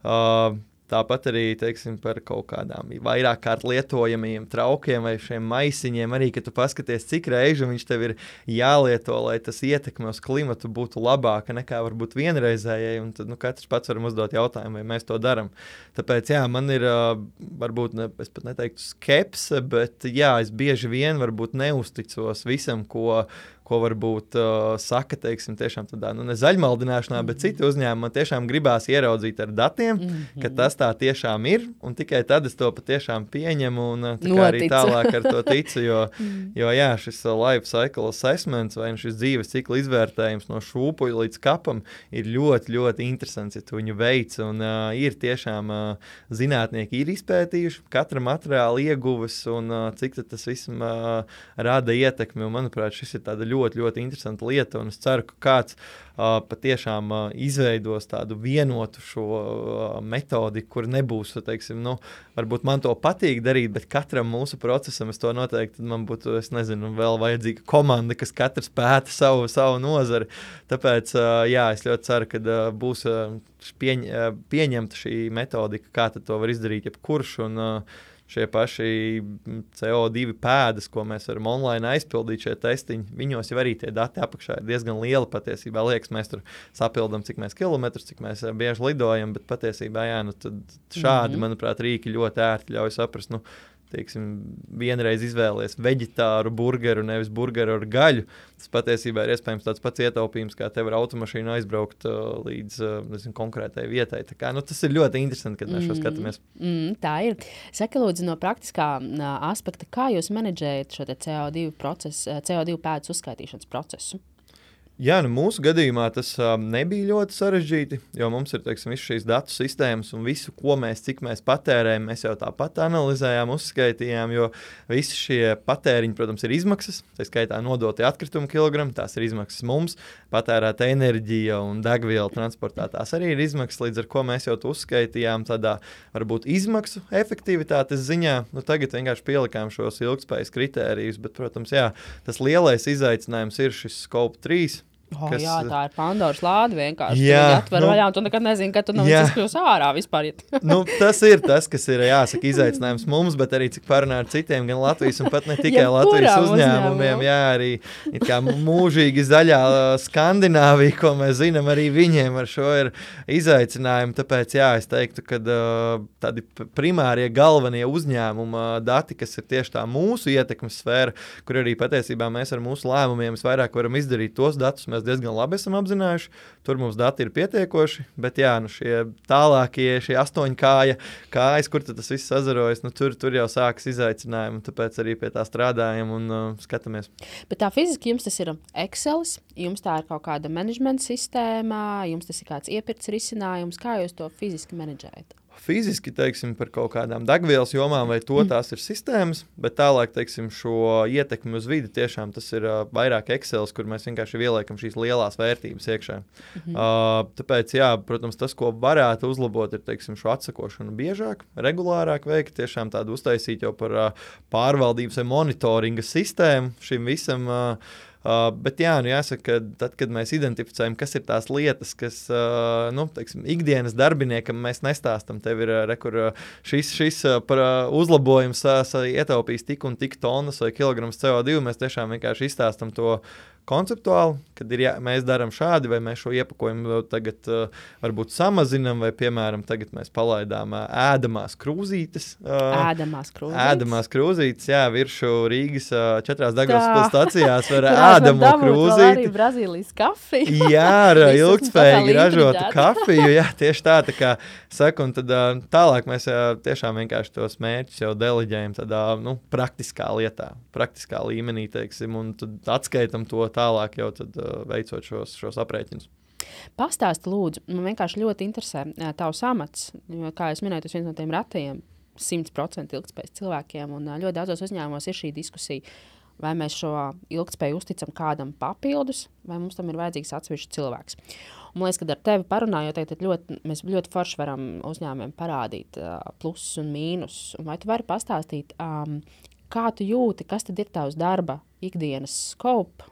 Speaker 2: uh, tāpat arī, teiksim, par kaut kādām vairāk kārt lietojamiem traukiem vai šiem maisiņiem, arī, ka tu paskaties, cik reižu viņš tev ir jālieto, lai tas ietekme uz klimatu būtu labāka nekā varbūt vienreizējai, un tad, nu, katrs pats varam uzdot jautājumu, vai mēs to daram. Tāpēc, jā, man ir, uh, varbūt, ne, es pat neteiktu skepse, bet, jā, es bieži vien varbūt neusticos visam, ko ko varbūt uh, saka, teiksim, tiešām tādā, nu, ne zaļmaldināšanā, bet citi uzņēmumi man tiešām gribās ieraudzīt ar datiem, mm-hmm. ka tas tā tiešām ir, un tikai tad es to patiešām pieņemu un tā kā arī tālāk ar to ticu, jo, jo jā, šis uh, life cycle assessments vai šis dzīves cikla izvērtējums no šūpuļa līdz kapam ir ļoti, ļoti interesants, ja tu viņu veic, un uh, ir tiešām uh, zinātnieki ir izpētījuši katra materiāla ieguves, un uh, cik tas visam uh, rada ietekmi, un manuprāt, šis ir tāda ļoti ļoti, ļoti interesanta lieta, un es ceru, ka kāds uh, patiešām uh, izveidos tādu vienotu šo uh, metodiku, kur nebūs, teiksim, nu, varbūt man to patīk darīt, bet katram mūsu procesam es to noteikti, man būtu, es nezinu, vēl vajadzīga komanda, kas katrs pēta savu, savu nozari. Tāpēc, uh, jā, es ļoti ceru, ka uh, būs uh, pieņ, uh, pieņemta šī metodika, kā tad to var izdarīt jebkurš, un uh, šie paši C O divi pēdas, ko mēs varam online aizpildīt, šie testiņi, viņos jau arī tie dati apakšā ir diezgan lieli patiesībā. Liekas, mēs tur sapildam, cik mēs kilometrus, cik mēs bieži lidojam, bet patiesībā, jā, nu tad šādi, mm-hmm. manuprāt, rīki ļoti ērti ļauj saprast, nu, teiksim, vienreiz izvēlies veģetāru burgeru, nevis burgeru ar gaļu. Tas patiesībā ir iespējams tāds pats ietaupījums, kā tev ar automašīnu aizbraukt uh, līdz uh, nezinu, konkrētai vietai. Tā kā, nu, tas ir ļoti interesanti, kad mēs šo skatāmies.
Speaker 1: Mm, tā ir. Saka, lūdzu, no praktiskā uh, aspekta, kā jūs menedžējat šo C O divi procesu, C O divi pēdas uzskaitīšanas procesu?
Speaker 2: Jā, nu mūsu gadījumā tas um, nebija ļoti sarežģīti, jo mums ir, teiksim, visu šīs datu sistēmas un visu, ko mēs, cik mēs patērējam, mēs jau tāpat analizējām, uzskaitījām, jo visi šie patēriņi, protams, ir izmaksas, tā skaitā nodotie atkritumu kilogrami, tās ir izmaksas mums, patērēta enerģija un degviela transportā, tās arī ir izmaksas, līdz ar ko mēs jau to uzskaitījām tādā, varbūt, izmaksu efektivitātes ziņā. Nu, tagad vienkārši pielikām šos ilgtspējas kritērijus, bet, protams, jā, tas lielais izaicinājums ir šis Scope trīs.
Speaker 1: Oh,
Speaker 2: kas,
Speaker 1: jā, tā ir Pandoras lāde vienkārši.
Speaker 2: Jā,
Speaker 1: tu atver nu, vaļā, un tu nekad nezini, kad tu no viņas izkļūs ārā vispār.
Speaker 2: Nu, tas ir tas, kas ir, jāsaka, izaicinājums mums, bet arī cik parunā ar citiem, gan Latvijas un pat ne tikai Latvijas uzņēmumiem. Jā, arī it kā mūžīgi zaļā Skandināvija, ko mēs zinām, arī viņiem ar šo ir izaicinājumi. Tāpēc, jā, es teiktu, ka uh, tādi primārie galvenie uzņēmuma dati, kas ir tieši tā mūsu ietekmes sfēra, kur arī patiesībā mēs ar mūsu lēmumiem vairāk varam izdarīt tos datus, mēs diezgan labi esam apzinājuši, tur mums dati ir pietiekoši, bet jā, nu šie tālākie, šie astoņkāja kājas, kur tas viss sazarojas, nu tur, tur jau sākas izaicinājumi, tāpēc arī pie tā strādājam un uh, skatāmies.
Speaker 1: Bet tā fiziski jums tas ir Excelis, jums tā ir kaut kāda menedžmenta sistēma, jums tas ir kāds iepirkts risinājums, kā jūs to fiziski menedžējat?
Speaker 2: Fiziski, teiksim, par kaut kādām degvielas jomām vai to tās ir sistēmas, bet tālāk, teiksim, šo ietekmi uz vidi tiešām tas ir uh, vairāk Excelis, kur mēs vienkārši ieliekam šīs lielās vērtības iekšā. Mm-hmm. Uh, tāpēc, jā, protams, tas, ko varētu uzlabot, ir, teiksim, šo atsakošanu biežāk, regulārāk veikt, tiešām tādu uztaisīt jau par uh, pārvaldības vai monitoringa sistēmu šim visam. Uh, Uh, bet jā, nu jāsaka, ka tad, kad mēs identificējam, kas ir tās lietas, kas, uh, nu, teiksim, ikdienas darbiniekam mēs nestāstam, tev ir, uh, rekur, uh, šis, šis uh, par uh, uzlabojums uh, ietaupīs tik un tik tonnas vai kilograms C O divi, mēs tiešām vienkārši izstāstam to konceptuāli, kad ir jā, mēs darām šādi, vai mēs šo iepakojumu tagad uh, varbūt samazinam, vai, piemēram, tagad mēs palaidām uh, ēdamās krūzītes. Uh,
Speaker 1: ēdamās krūzītes?
Speaker 2: Ēdamās krūzītes, jā, viršu Rīgas uh, četrās degvielas stacijās var ēdamo krūzīti.
Speaker 1: Arī Brazīlijas kafiju.
Speaker 2: Jā, ar ilgtspējīgi ražotu kafiju, jā, tieši tā, tā kā saka, un tad uh, tālāk mēs uh, tiešām vienkārši tos mērķus jau deleģējam tādā, nu, praktiskā lietā, praktiskā līmenī, teiksim, un tad atskaitam to tālāk jau tad, uh, veicot šos, šos aprēķinus.
Speaker 1: Pastāsti, lūdzu, man vienkārši ļoti interesē uh, tavs amats, jo, kā es minēju, tas viens no tiem ratajiem simt procenti ilgtspējas cilvēkiem, un uh, ļoti daudzos uzņēmumos ir šī diskusija, vai mēs šo ilgtspēju uzticam kādam papildus, vai mums tam ir vajadzīgs atsevišķs cilvēks. Un, man liekas, kad ar tevi parunājot, tad ļoti, mēs ļoti forši varam uzņēmumiem parādīt uh, plusus un mīnus. Un vai tu vari pastāstīt, um, kā tu jūti, kas tad ir tavs darba ikdienas scope,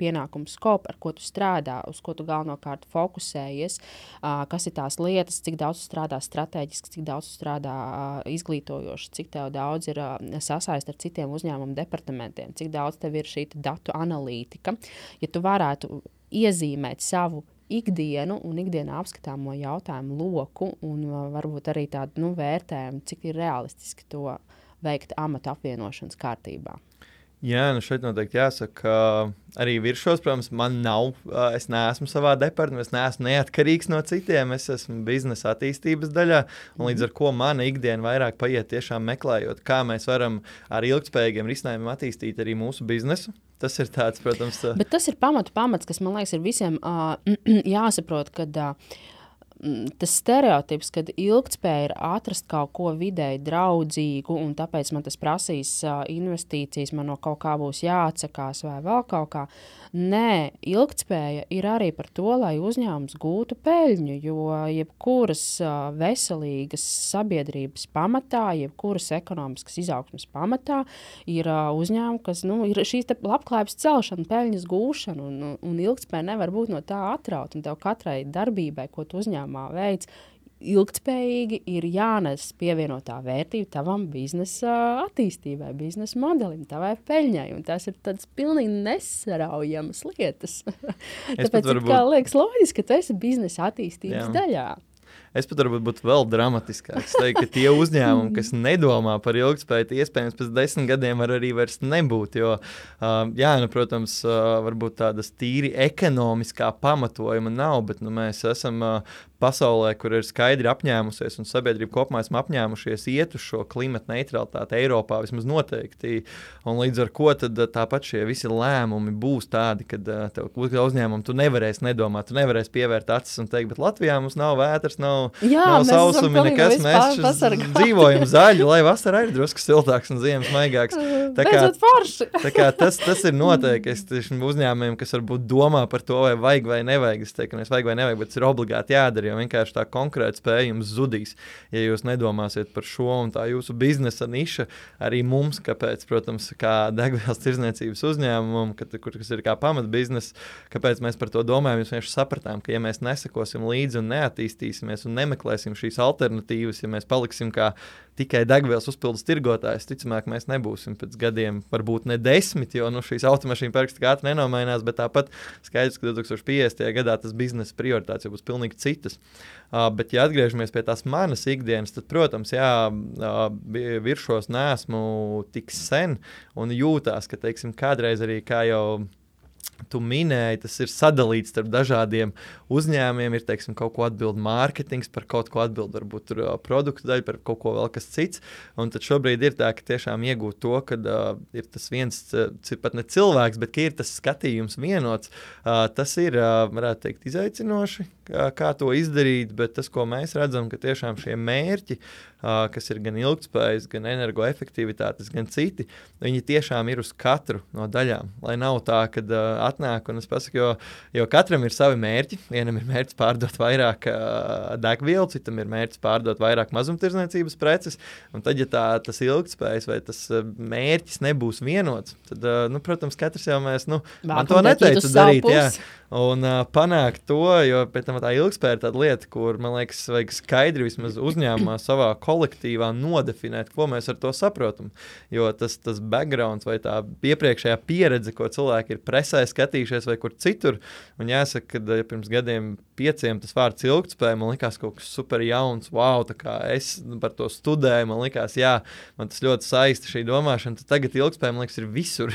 Speaker 1: pienākums scope, ar ko tu strādā, uz ko tu galvenokārt fokusējies, uh, kas ir tās lietas, cik daudz tu strādā strateģiski, cik daudz tu strādā uh, izglītojoši, cik tev daudz ir uh, sasaist ar citiem uzņēmumu departamentiem, cik daudz tev ir šī datu analītika. Ja tu varētu iezīmēt savu ikdienu un ikdienā apskatāmo jautājumu loku un uh, varbūt arī tādu nu, vērtējumu, cik ir realistiski to veikt amata apvienošanas kārtībā.
Speaker 2: Jā, nu šeit noteikti jāsaka, ka arī viršos, protams, man nav, es neesmu savā departamentā, es neesmu neatkarīgs no citiem, es esmu biznesa attīstības daļā, un līdz ar ko mana ikdiena vairāk paiet tiešām meklējot, kā mēs varam ar ilgtspējīgiem risinājumiem attīstīt arī mūsu biznesu. Tas ir tāds, protams...
Speaker 1: Bet tas ir pamatu pamats, kas, man liekas, ir visiem uh, jāsaprot, kad... Uh, tas stereotips, kad ilgtspēja ir atrast kaut ko vidēji draudzīgu un tāpēc man tas prasīs uh, investīcijas, man no kaut kā būs jāatsakās vai vēl kaut kā. Nē, ilgtspēja ir arī par to, lai uzņēmums gūtu peļņu, jo jebkuras uh, veselīgas sabiedrības pamatā, jebkuras ekonomiskas izaugsmes pamatā ir uh, uzņēmumi, kas nu, ir šīs te labklājības celšana, peļņas gūšana un, un ilgtspēja nevar būt no tā atraut. Un tev katrai darbībai, ko tu uzņēmumā veic, ilgtspējīgi ir jānes pievienotā vērtība tavam biznesa attīstībai, biznesa modelim, tavai peļņai. Un tās ir tādas pilnīgi nesaraujamas lietas. Tāpēc varbūt... kā liekas loģiski, ka tu esi biznesa attīstības Jā. daļā.
Speaker 2: Es pat varbūt būtu vēl dramatiskāks. Es teiktu, ka tie uzņēmumi, kas nedomā par ilgtspēju, iespējams pēc desmit gadiem var arī vairs nebūt. Jo, uh, jā, nu, protams, uh, varbūt tādas tīri ekonomiskā pamatojuma nav, bet nu, mēs esam uh, pasaulē, kur ir skaidri apņēmusies un sabiedrība kopumā esam apņēmušies iet uz šo klimata neutralitāti Eiropā vismaz noteikti. Un līdz ar ko tad tāpat šie visi lēmumi būs tādi, kad uh, tev uzņēmumu tu nevarēsi nedomāt, tu nevarēsi pievērt acis un teikt, bet Latvijā mums nav vētras, nav,
Speaker 1: Jā,
Speaker 2: nav sausumi, nekas, mēs dzīvojam zaļi, lai vasarā ir drusku siltāks un ziemas maigāks. Tā kā, tā kā tas, tas ir noteikti, es tieši uzņēmumiem, kas varbūt domā par to, vai vajag vai nevajag, es teiktu, ka mēs vajag vai nevajag, bet tas ir obligāti jādara, jo vienkārši tā konkrēta spēja jums zudīs, ja jūs nedomāsiet par šo un tā jūsu biznesa niša arī mums, kāpēc, protams, kā degvielas tirdzniecības uzņēmumam, kad, kur, kas ir kā pamatbizness, kāpēc mēs par to domājam, mēs vienkārši sapratām, ka ja mēs nesekosim līdzi un neattīstīsimies un nemeklēsim šīs alternatīvas, ja mēs paliksim kā tikai degvielas uzpildes tirgotājs, ticamāk, mēs nebūsim pēc gadiem, varbūt ne desmit, jo nu, šīs automašīna parks tik ātri nenomainās, bet tāpat skaidrs, ka divtūkstoš piecdesmitajā gadā tas biznesa prioritātes jau būs pilnīgi citas. Uh, bet, ja atgriežamies pie tās manas ikdienas, tad, protams, jā, uh, viršos neesmu tik sen un jūtās, ka, teiksim, kādreiz arī kā jau tu minēji, tas ir sadalīts starp dažādiem uzņēmumiem, ir, teiksim, kaut ko atbild mārketings, par kaut ko atbild varbūt tur produktu daļu, par kaut ko vēl kas cits, un tad šobrīd ir tā, ka tiešām iegūt to, ka uh, ir tas viens, uh, pat ne cilvēks, bet ka ir tas skatījums vienots, uh, tas ir, uh, varētu teikt, izaicinoši, kā, kā to izdarīt, bet tas, ko mēs redzam, ka tiešām šie mērķi, uh, kas ir gan ilgtspējas, gan energoefektivitātes, gan citi, viņi tiešām ir uz katru no daļām, lai nav tā, kad uh, atnāk, un es pasaku, jo, jo katram ir savi mērķi. Vienam ir mērķis pārdot vairāk uh, degvielu, citam ir mērķis pārdot vairāk mazumtirdzniecības preces, un tad, ja tā, tas ilgtspējas vai tas uh, mērķis nebūs vienots, tad, uh, nu, protams, katrs jau mēs, nu, Vākam man to neteicu darīt, jā, un uh, panākt to, jo pēc tam tā ilgtspēja ir tāda lieta, kur, man liekas, vajag skaidri vismaz uzņēmumā savā kolektīvā nodefinēt, ko mēs ar to saprotam, jo tas, tas backgrounds vai tā iepriekšējā pieredze, ko cilvēki ir presē skatījušies vai kur citur, un jāsaka, ka ja pirms gadiem pieciem tas vārds ilgtspēja, man likās kaut kas super jauns, wow, tā kā es par to studēju, man likās, jā, man tas ļoti saista šī domāšana, tad tagad ilgtspēja, man liekas, ir visur,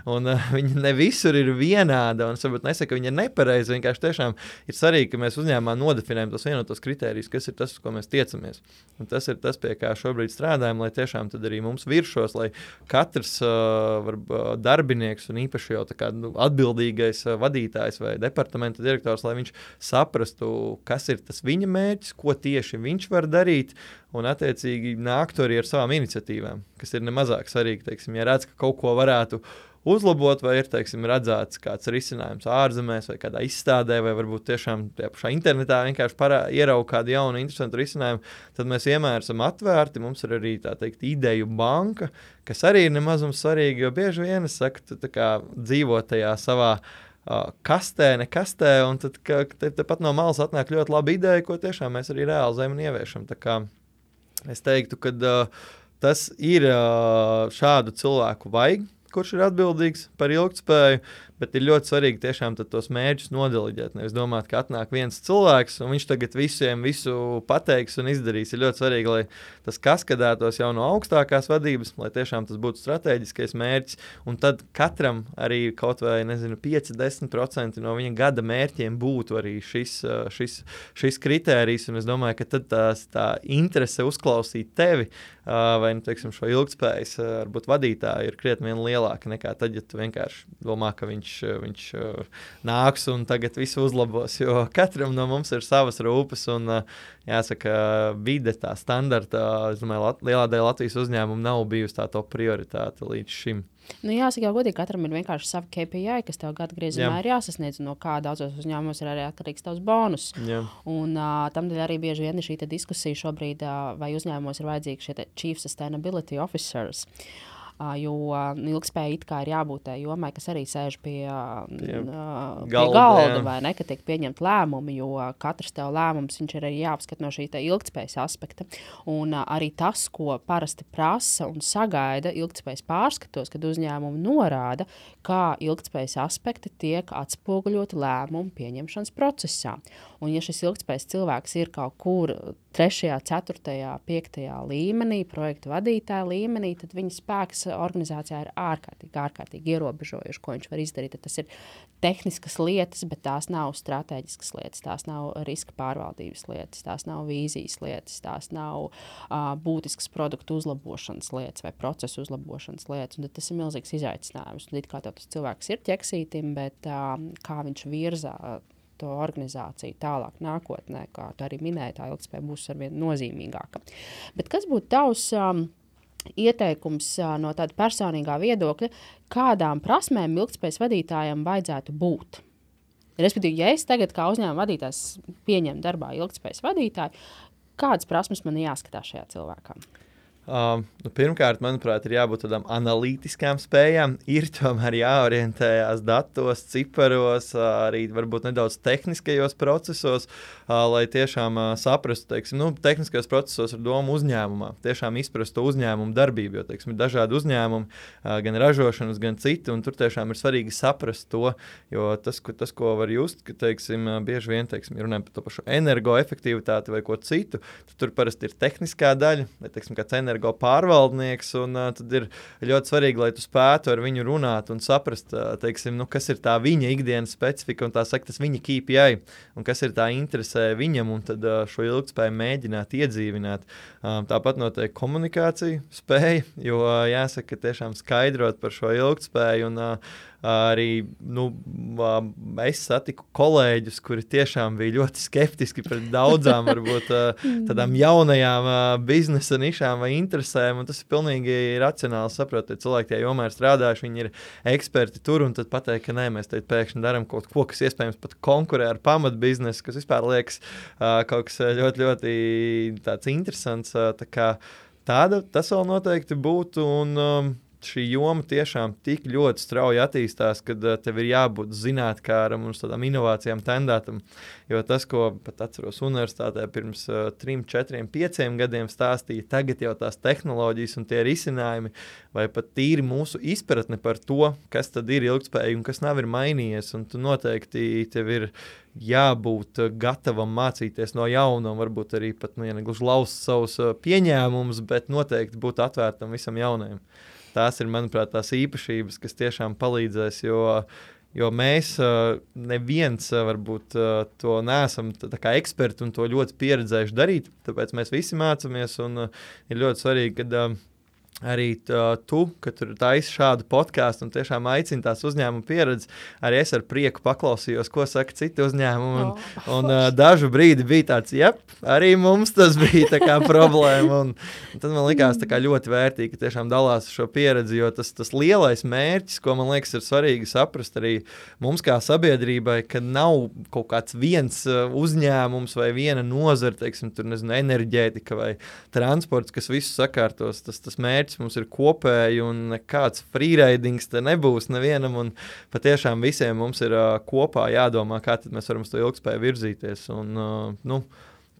Speaker 2: un uh, viņa ne visur ir vienāda, un es varbūt nesaku, ka viņa ir nepareiza, vienkārši tiešām ir svarīgi, ka mēs uzņēmumā nodefinējam tos vienotos kritērijus, kas ir tas, uz ko mēs tiecamies. Un tas ir tas, pie kā šobrīd strādājam, lai tiešām tad arī mums viršos, lai katrs uh, var, uh, darbinieks un īpaši jau tā kā nu, atbildīgais uh, vadītājs vai departamenta direktors, lai viņš saprastu, kas ir tas viņa mērķis, ko tieši viņš var darīt, un attiecīgi nāktu arī ar savām iniciatīvām, kas ir nemazāk svarīgi, teiksim, ja redz, ka kaut ko varētu uzlabot, vai ir, teiksim, redzēts kāds risinājums ārzemēs vai kādā izstādē, vai varbūt tiešām tajā pašā internetā vienkārši parā, ierauga kādu jaunu interesantu risinājumu, tad mēs vienmēr esam atvērti, mums ir arī, tā teikt, ideju banka, kas arī ir nemazums svarīgi, jo bieži vien, es saku, tu tā kā dzīvo tajā savā uh, kastē, ne kastē, un tad ka, te, te pat no malas atnāk ļoti laba ideja, ko tiešām mēs arī realizējam un ieviešam. Tā kā es teiktu, ka uh, tas ir uh, šādu cilvēku vajag, kurš ir atbildīgs par ilgtspēju, bet ir ļoti svarīgi tiešām tos mērķus nodeliģēt. Nevis domāt, ka atnāk viens cilvēks, un viņš tagad visiem visu pateiks un izdarīs. Ir ļoti svarīgi, lai tas kaskadētos jau no augstākās vadības, lai tiešām tas būtu strateģiskais mērķis, un tad katram arī kaut vai, nezinu, pieci līdz desmit procenti no viņa gada mērķiem būtu arī šis, šis, šis kritērijs, un es domāju, ka tad tās, tā interese uzklausīt tevi, vai, nu, teiksim, šo ilgtspējas, varbūt vadītāju ir krietni vien lielāka nekā tad, ja tu vienkārši domā, ka viņš Viņš, viņš nāks un tagad visu uzlabos, jo katram no mums ir savas rūpes un, jāsaka, vide tā standarta, es domāju, Lat- lielā daļa Latvijas uzņēmumu nav bijusi tā top prioritāte līdz šim.
Speaker 1: Nu, jāsaka, jau godīgi, katram ir vienkārši savi K P I, kas tev gada griezumā Jā. ir jāsasniedz, no kā daudzos uzņēmumos ir arī atkarīgs tavs bonus. Jā. Un uh, tamdēļ arī bieži vien ir šī diskusija šobrīd, uh, vai uzņēmumos ir vajadzīgi šie Chief Sustainability Officers. jo ilgtspēja it kā ir jābūt tai jomai, kas arī sēž pie, pie,
Speaker 2: galda,
Speaker 1: pie galda vai ne, ka tiek pieņemt lēmumi, jo katrs tev lēmums, viņš ir arī jāapskat no šī ilgtspējas aspekta. Un arī tas, ko parasti prasa un sagaida ilgtspējas pārskatos, kad uzņēmumi norāda, kā ilgtspējas aspekti tiek atspoguļoti lēmumu pieņemšanas procesā. Un ja šis ilgtspējas cilvēks ir kaut kur trešajā, ceturtajā, piektajā līmenī, projektu vadītāja līmenī, tad viņa spēks organizācijā ir ārkārtīgi, ārkārtīgi ierobežojuši, ko viņš var izdarīt. Tad tas ir tehniskas lietas, bet tās nav strateģiskas lietas, tās nav riska pārvaldības lietas, tās nav vīzijas lietas, tās nav uh, būtiskas produktu uzlabošanas lietas vai procesu uzlabošanas lietas. Un tad tas ir milzīgs izaicinājums. Un it kā tev tas cilvēks ir ķeksītim, bet uh, kā viņš virzā to organizāciju tālāk nākotnē, kā tu arī minēji, tā ilgtspēja būs arvien nozīmīgāka. Bet kas būtu tavs um, ieteikums uh, no tāda personīgā viedokļa, kādām prasmēm ilgtspējas vadītājiem vajadzētu būt? Respektīvi, ja es tagad kā uzņēmuma vadītājs pieņemu darbā ilgtspējas vadītāju, kādas prasmes man jāskatās šajā cilvēkā?
Speaker 2: Uh, nu, pirmkārt, manuprāt, ir jābūt tādām analītiskām spējām. Ir tomēr jāorientējās datos, ciparos, uh, arī varbūt nedaudz tehniskajos procesos, uh, lai tiešām uh, saprastu, teiksim, nu, tehniskajos procesos ar domu uzņēmumā. Tiešām izprastu to uzņēmumu darbību, jo, teiksim, ir dažādi uzņēmumi, uh, gan ražošanas, gan citi, un tur tiešām ir svarīgi saprast to, jo tas, ko, tas, ko var just, ka, teiksim, uh, bieži vien, teiksim, runājam par to pašu energoefektivitāti vai ko citu, tad tur parasti ir tehniskā daļa, vai, teiksim, kāds energo pārvaldnieks, un uh, tad ir ļoti svarīgi, lai tu spētu ar viņu runāt un saprast, uh, teiksim, nu, kas ir tā viņa ikdienas specifika un tā saka, tas viņa K P I, un kas ir tā interesē viņam, un tad uh, šo ilgtspēju mēģināt iedzīvināt. Uh, tāpat notiek komunikācija spēja, jo uh, jāsaka, tiešām skaidrot par šo ilgtspēju, un uh, arī nu, es satiku kolēģus, kuri tiešām bija ļoti skeptiski pret daudzām varbūt tādām jaunajām biznesa nišām vai interesēm, un tas ir pilnīgi racionāli saprot, ja cilvēki tajā jomā ir strādājuši, viņi ir eksperti tur, un tad pateikt, ka nē, mēs teikt pēkšņi daram kaut ko, kas iespējams pat konkurē ar pamatbiznesu, kas vispār liekas kaut kas ļoti, ļoti tāds interesants, tā kā tāda, tas vēl noteikti būtu, un um, šī joma tiešām tik ļoti strauji attīstās, kad uh, tev ir jābūt zinātkāram un tādām inovācijām tendētam. Jo tas, ko pat atceros universitātē pirms uh, trim, četriem, pieciem gadiem stāstīja, tagad jau tās tehnoloģijas un tie risinājumi, vai pat tīri mūsu izpratne par to, kas tad ir ilgtspēja un kas nav ir mainījies. Un tu noteikti tev ir jābūt gatavam mācīties no jauna un varbūt arī pat, nu, ja negluži laust savus uh, pieņēmumus, bet noteikti būt atvērtam visam jaunajam. Tās ir, manuprāt, tās īpašības, kas tiešām palīdzēs, jo, jo mēs neviens varbūt to neesam tā kā eksperti un to ļoti pieredzējuši darīt, tāpēc mēs visi mācāmies, un ir ļoti svarīgi, kad arī tā, tu, kad tur taisi šādu podcastu un tiešām aicini tās uzņēmuma pieredzi, arī es ar prieku paklausījos, ko saka citi uzņēmumi, un, oh, un uh, dažu brīdi bija tāds, jep, arī mums tas bija tā kā problēma, un, un tad man likās tā kā ļoti vērtīgi, ka tiešām dalās šo pieredzi, jo tas, tas lielais mērķis, ko man liekas ir svarīgi saprast arī mums kā sabiedrībai, ka nav kaut kāds viens uh, uzņēmums vai viena nozara, teiksim, tur nezinu, enerģētika vai transports, kas visu sakārtos, tas, tas mērķis mums ir kopēji un nekāds freeridings te nebūs nevienam, un patiešām visiem mums ir uh, kopā jādomā, kā tad mēs varam uz to ilgtspēju virzīties, un uh, nu,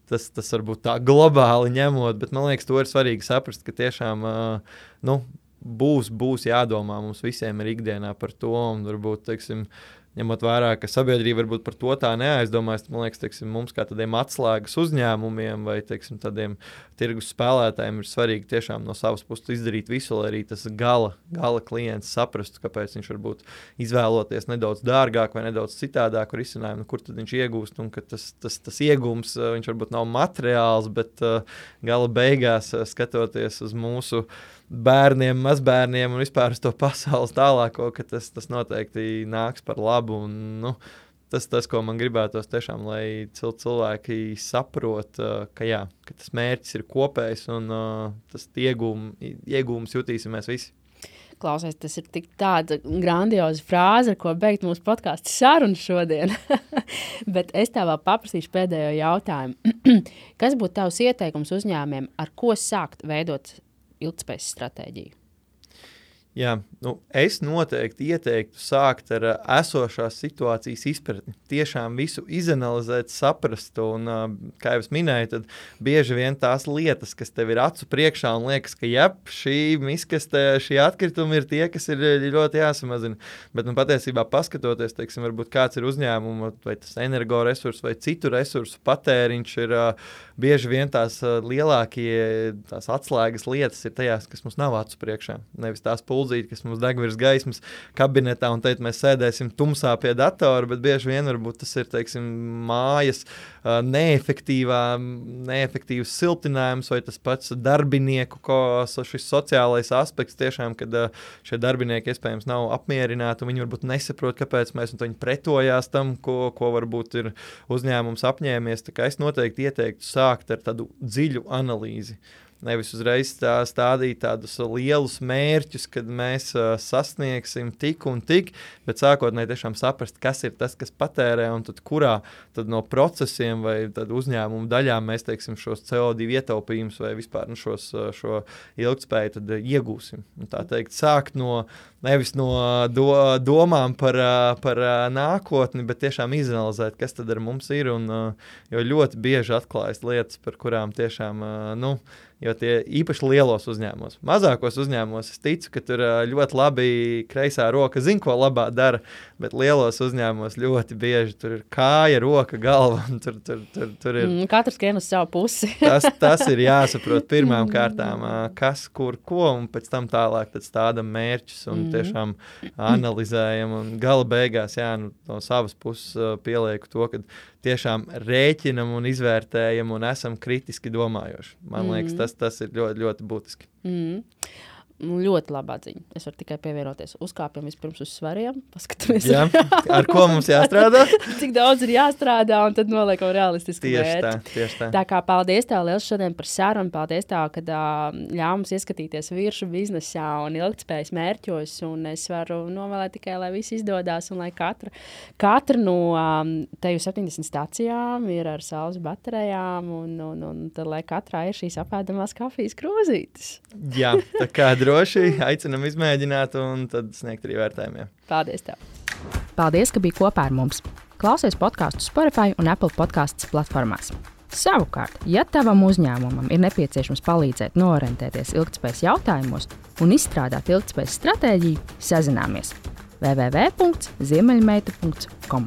Speaker 2: tas, tas varbūt tā globāli ņemot, bet man liekas, to ir svarīgi saprast, ka tiešām uh, nu, būs, būs jādomā mums visiem ir ikdienā par to, un varbūt, teiksim, ņemot vērā, ka sabiedrība varbūt par to tā neaizdomājas, man liekas, teiksim, mums kā tādiem atslēgas uzņēmumiem vai, teiksim, tādiem tirgus spēlētājiem ir svarīgi tiešām no savas puses izdarīt visu, lai arī tas gala, gala klients saprastu, kāpēc viņš varbūt izvēloties nedaudz dārgāk vai nedaudz citādāku risinājumu, kur tad viņš iegūst, un ka tas, tas, tas iegūms, viņš varbūt nav materiāls, bet uh, gala beigās uh, skatoties uz mūsu bērniem, mazbērniem un vispār uz to pasaules tālāko, ka tas, tas noteikti nāks par labu. Un, nu, tas, tas, ko man gribētos tiešām, lai cil- cilvēki saprot, uh, ka, jā, ka tas mērķis ir kopējs un uh, tas iegūm, iegūms jutīsimies visi.
Speaker 1: Klausies, tas ir tik tāda grandioza frāze, ar ko beigt mūsu podcastu sarunu šodien. Bet es tev vēl paprasīšu pēdējo jautājumu. Kas būtu tavs ieteikums uzņēmumiem, ar ko sākt veidot ilgtspējas stratēģiju?
Speaker 2: Jā, nu, es noteikti ieteiktu sākt ar uh, esošās situācijas izpratni. Tiešām visu izanalizēt, saprast, un, uh, kā jau es minēju, tad bieži vien tās lietas, kas tev ir acu priekšā un liekas, ka jep, šī miskaste, šī atkritumi ir tie, kas ir ļoti jāsamazina. Bet, nu, patiesībā paskatoties, teiksim, varbūt kāds ir uzņēmuma, vai tas energoresursu, vai citu resursu patēriņš ir uh, bieži vien tās uh, lielākie, tās atslēgas lietas ir tajās, kas mums nav acu priekšā. Nevis tās pulzīti, kas mums deg virs gaismas kabinetā, un teikt, mēs sēdēsim tumsā pie datora, bet bieži vien varbūt tas ir, teiksim, mājas uh, neefektīvā, neefektīvs siltinājums, vai tas pats darbinieku, ko šis sociālais aspekts tiešām, kad uh, šie darbinieki iespējams nav apmierināti, un viņi varbūt nesaprot, kāpēc mēs, un viņi pretojās tam, ko, ko varbūt ir uzņēmums apņēmies. Tā kā es noteikti ieteiktu sākt ar tādu dziļu analīzi. Nevis uzreiz tā stādīt tādus lielus mērķus, kad mēs uh, sasniegsim tik un tik, bet sākotnēji tiešām saprast, kas ir tas, kas patērē, un tad kurā tad no procesiem vai tad uzņēmumu daļām mēs, teiksim, šos C O divi ietaupījumus vai vispār nu, šos, šo ilgtspēju tad iegūsim. Un tā teikt, sākt no, nevis no do, domām par, par nākotni, bet tiešām izanalizēt, kas tad ar mums ir, un jo ļoti bieži atklājas lietas, par kurām tiešām, nu, jo tie īpaši lielos uzņēmumos. Mazākos uzņēmumos es ticu, ka tur ļoti labi kreisā roka zina, ko labā dara, bet lielos uzņēmumos ļoti bieži tur ir kāja, roka, galva. Tur, tur, tur, tur ir,
Speaker 1: mm, katrs skrien uz savu pusi.
Speaker 2: tas, tas ir jāsaprot pirmām kārtām, kas, kur, ko, un pēc tam tālāk tad stādam mērķus un tiešām analizējam. Un gala beigās, jā, nu, no savas puses pielieku to, ka tiešām rēķinam un izvērtējam un esam kritiski domājoši. Man liekas, tas, tas ir ļoti, ļoti būtiski.
Speaker 1: Mm. Ļoti labā ziņa. Es varu tikai pievienoties. Uzkāpjam vispirms uz svariem, paskatāmies.
Speaker 2: Jā, ar ko mums jāstrādā?
Speaker 1: Cik daudz ir jāstrādā, un tad noliekam realistisku
Speaker 2: tieši
Speaker 1: mērķi.
Speaker 2: Tā, tieši tā.
Speaker 1: Tā kā paldies tev liels šodien par sarunu, paldies tev, kad uh, ļāv mums ieskatīties viršu biznesā un ilgtspējas mērķos, un es varu novēlēt tikai, lai viss izdodās, un lai katra, katra no um, teju septiņdesmit stacijām ir ar saules baterijām, un, un, un tad, lai katrā ir šīs apēdamās kafijas krūzītes.
Speaker 2: Jā, tā kā droši aicinam izmēģināt un tad sniegt arī vērtējumiem.
Speaker 1: Paldies tev! Paldies, ka biji kopā ar mums! Klausies podcastu Spotify un Apple podcasts platformās. Savukārt, ja tavam uzņēmumam ir nepieciešams palīdzēt noorientēties ilgtspējas jautājumos un izstrādāt ilgtspējas stratēģiju, sazināmies w w w punkts ziemeļmeita punkts com.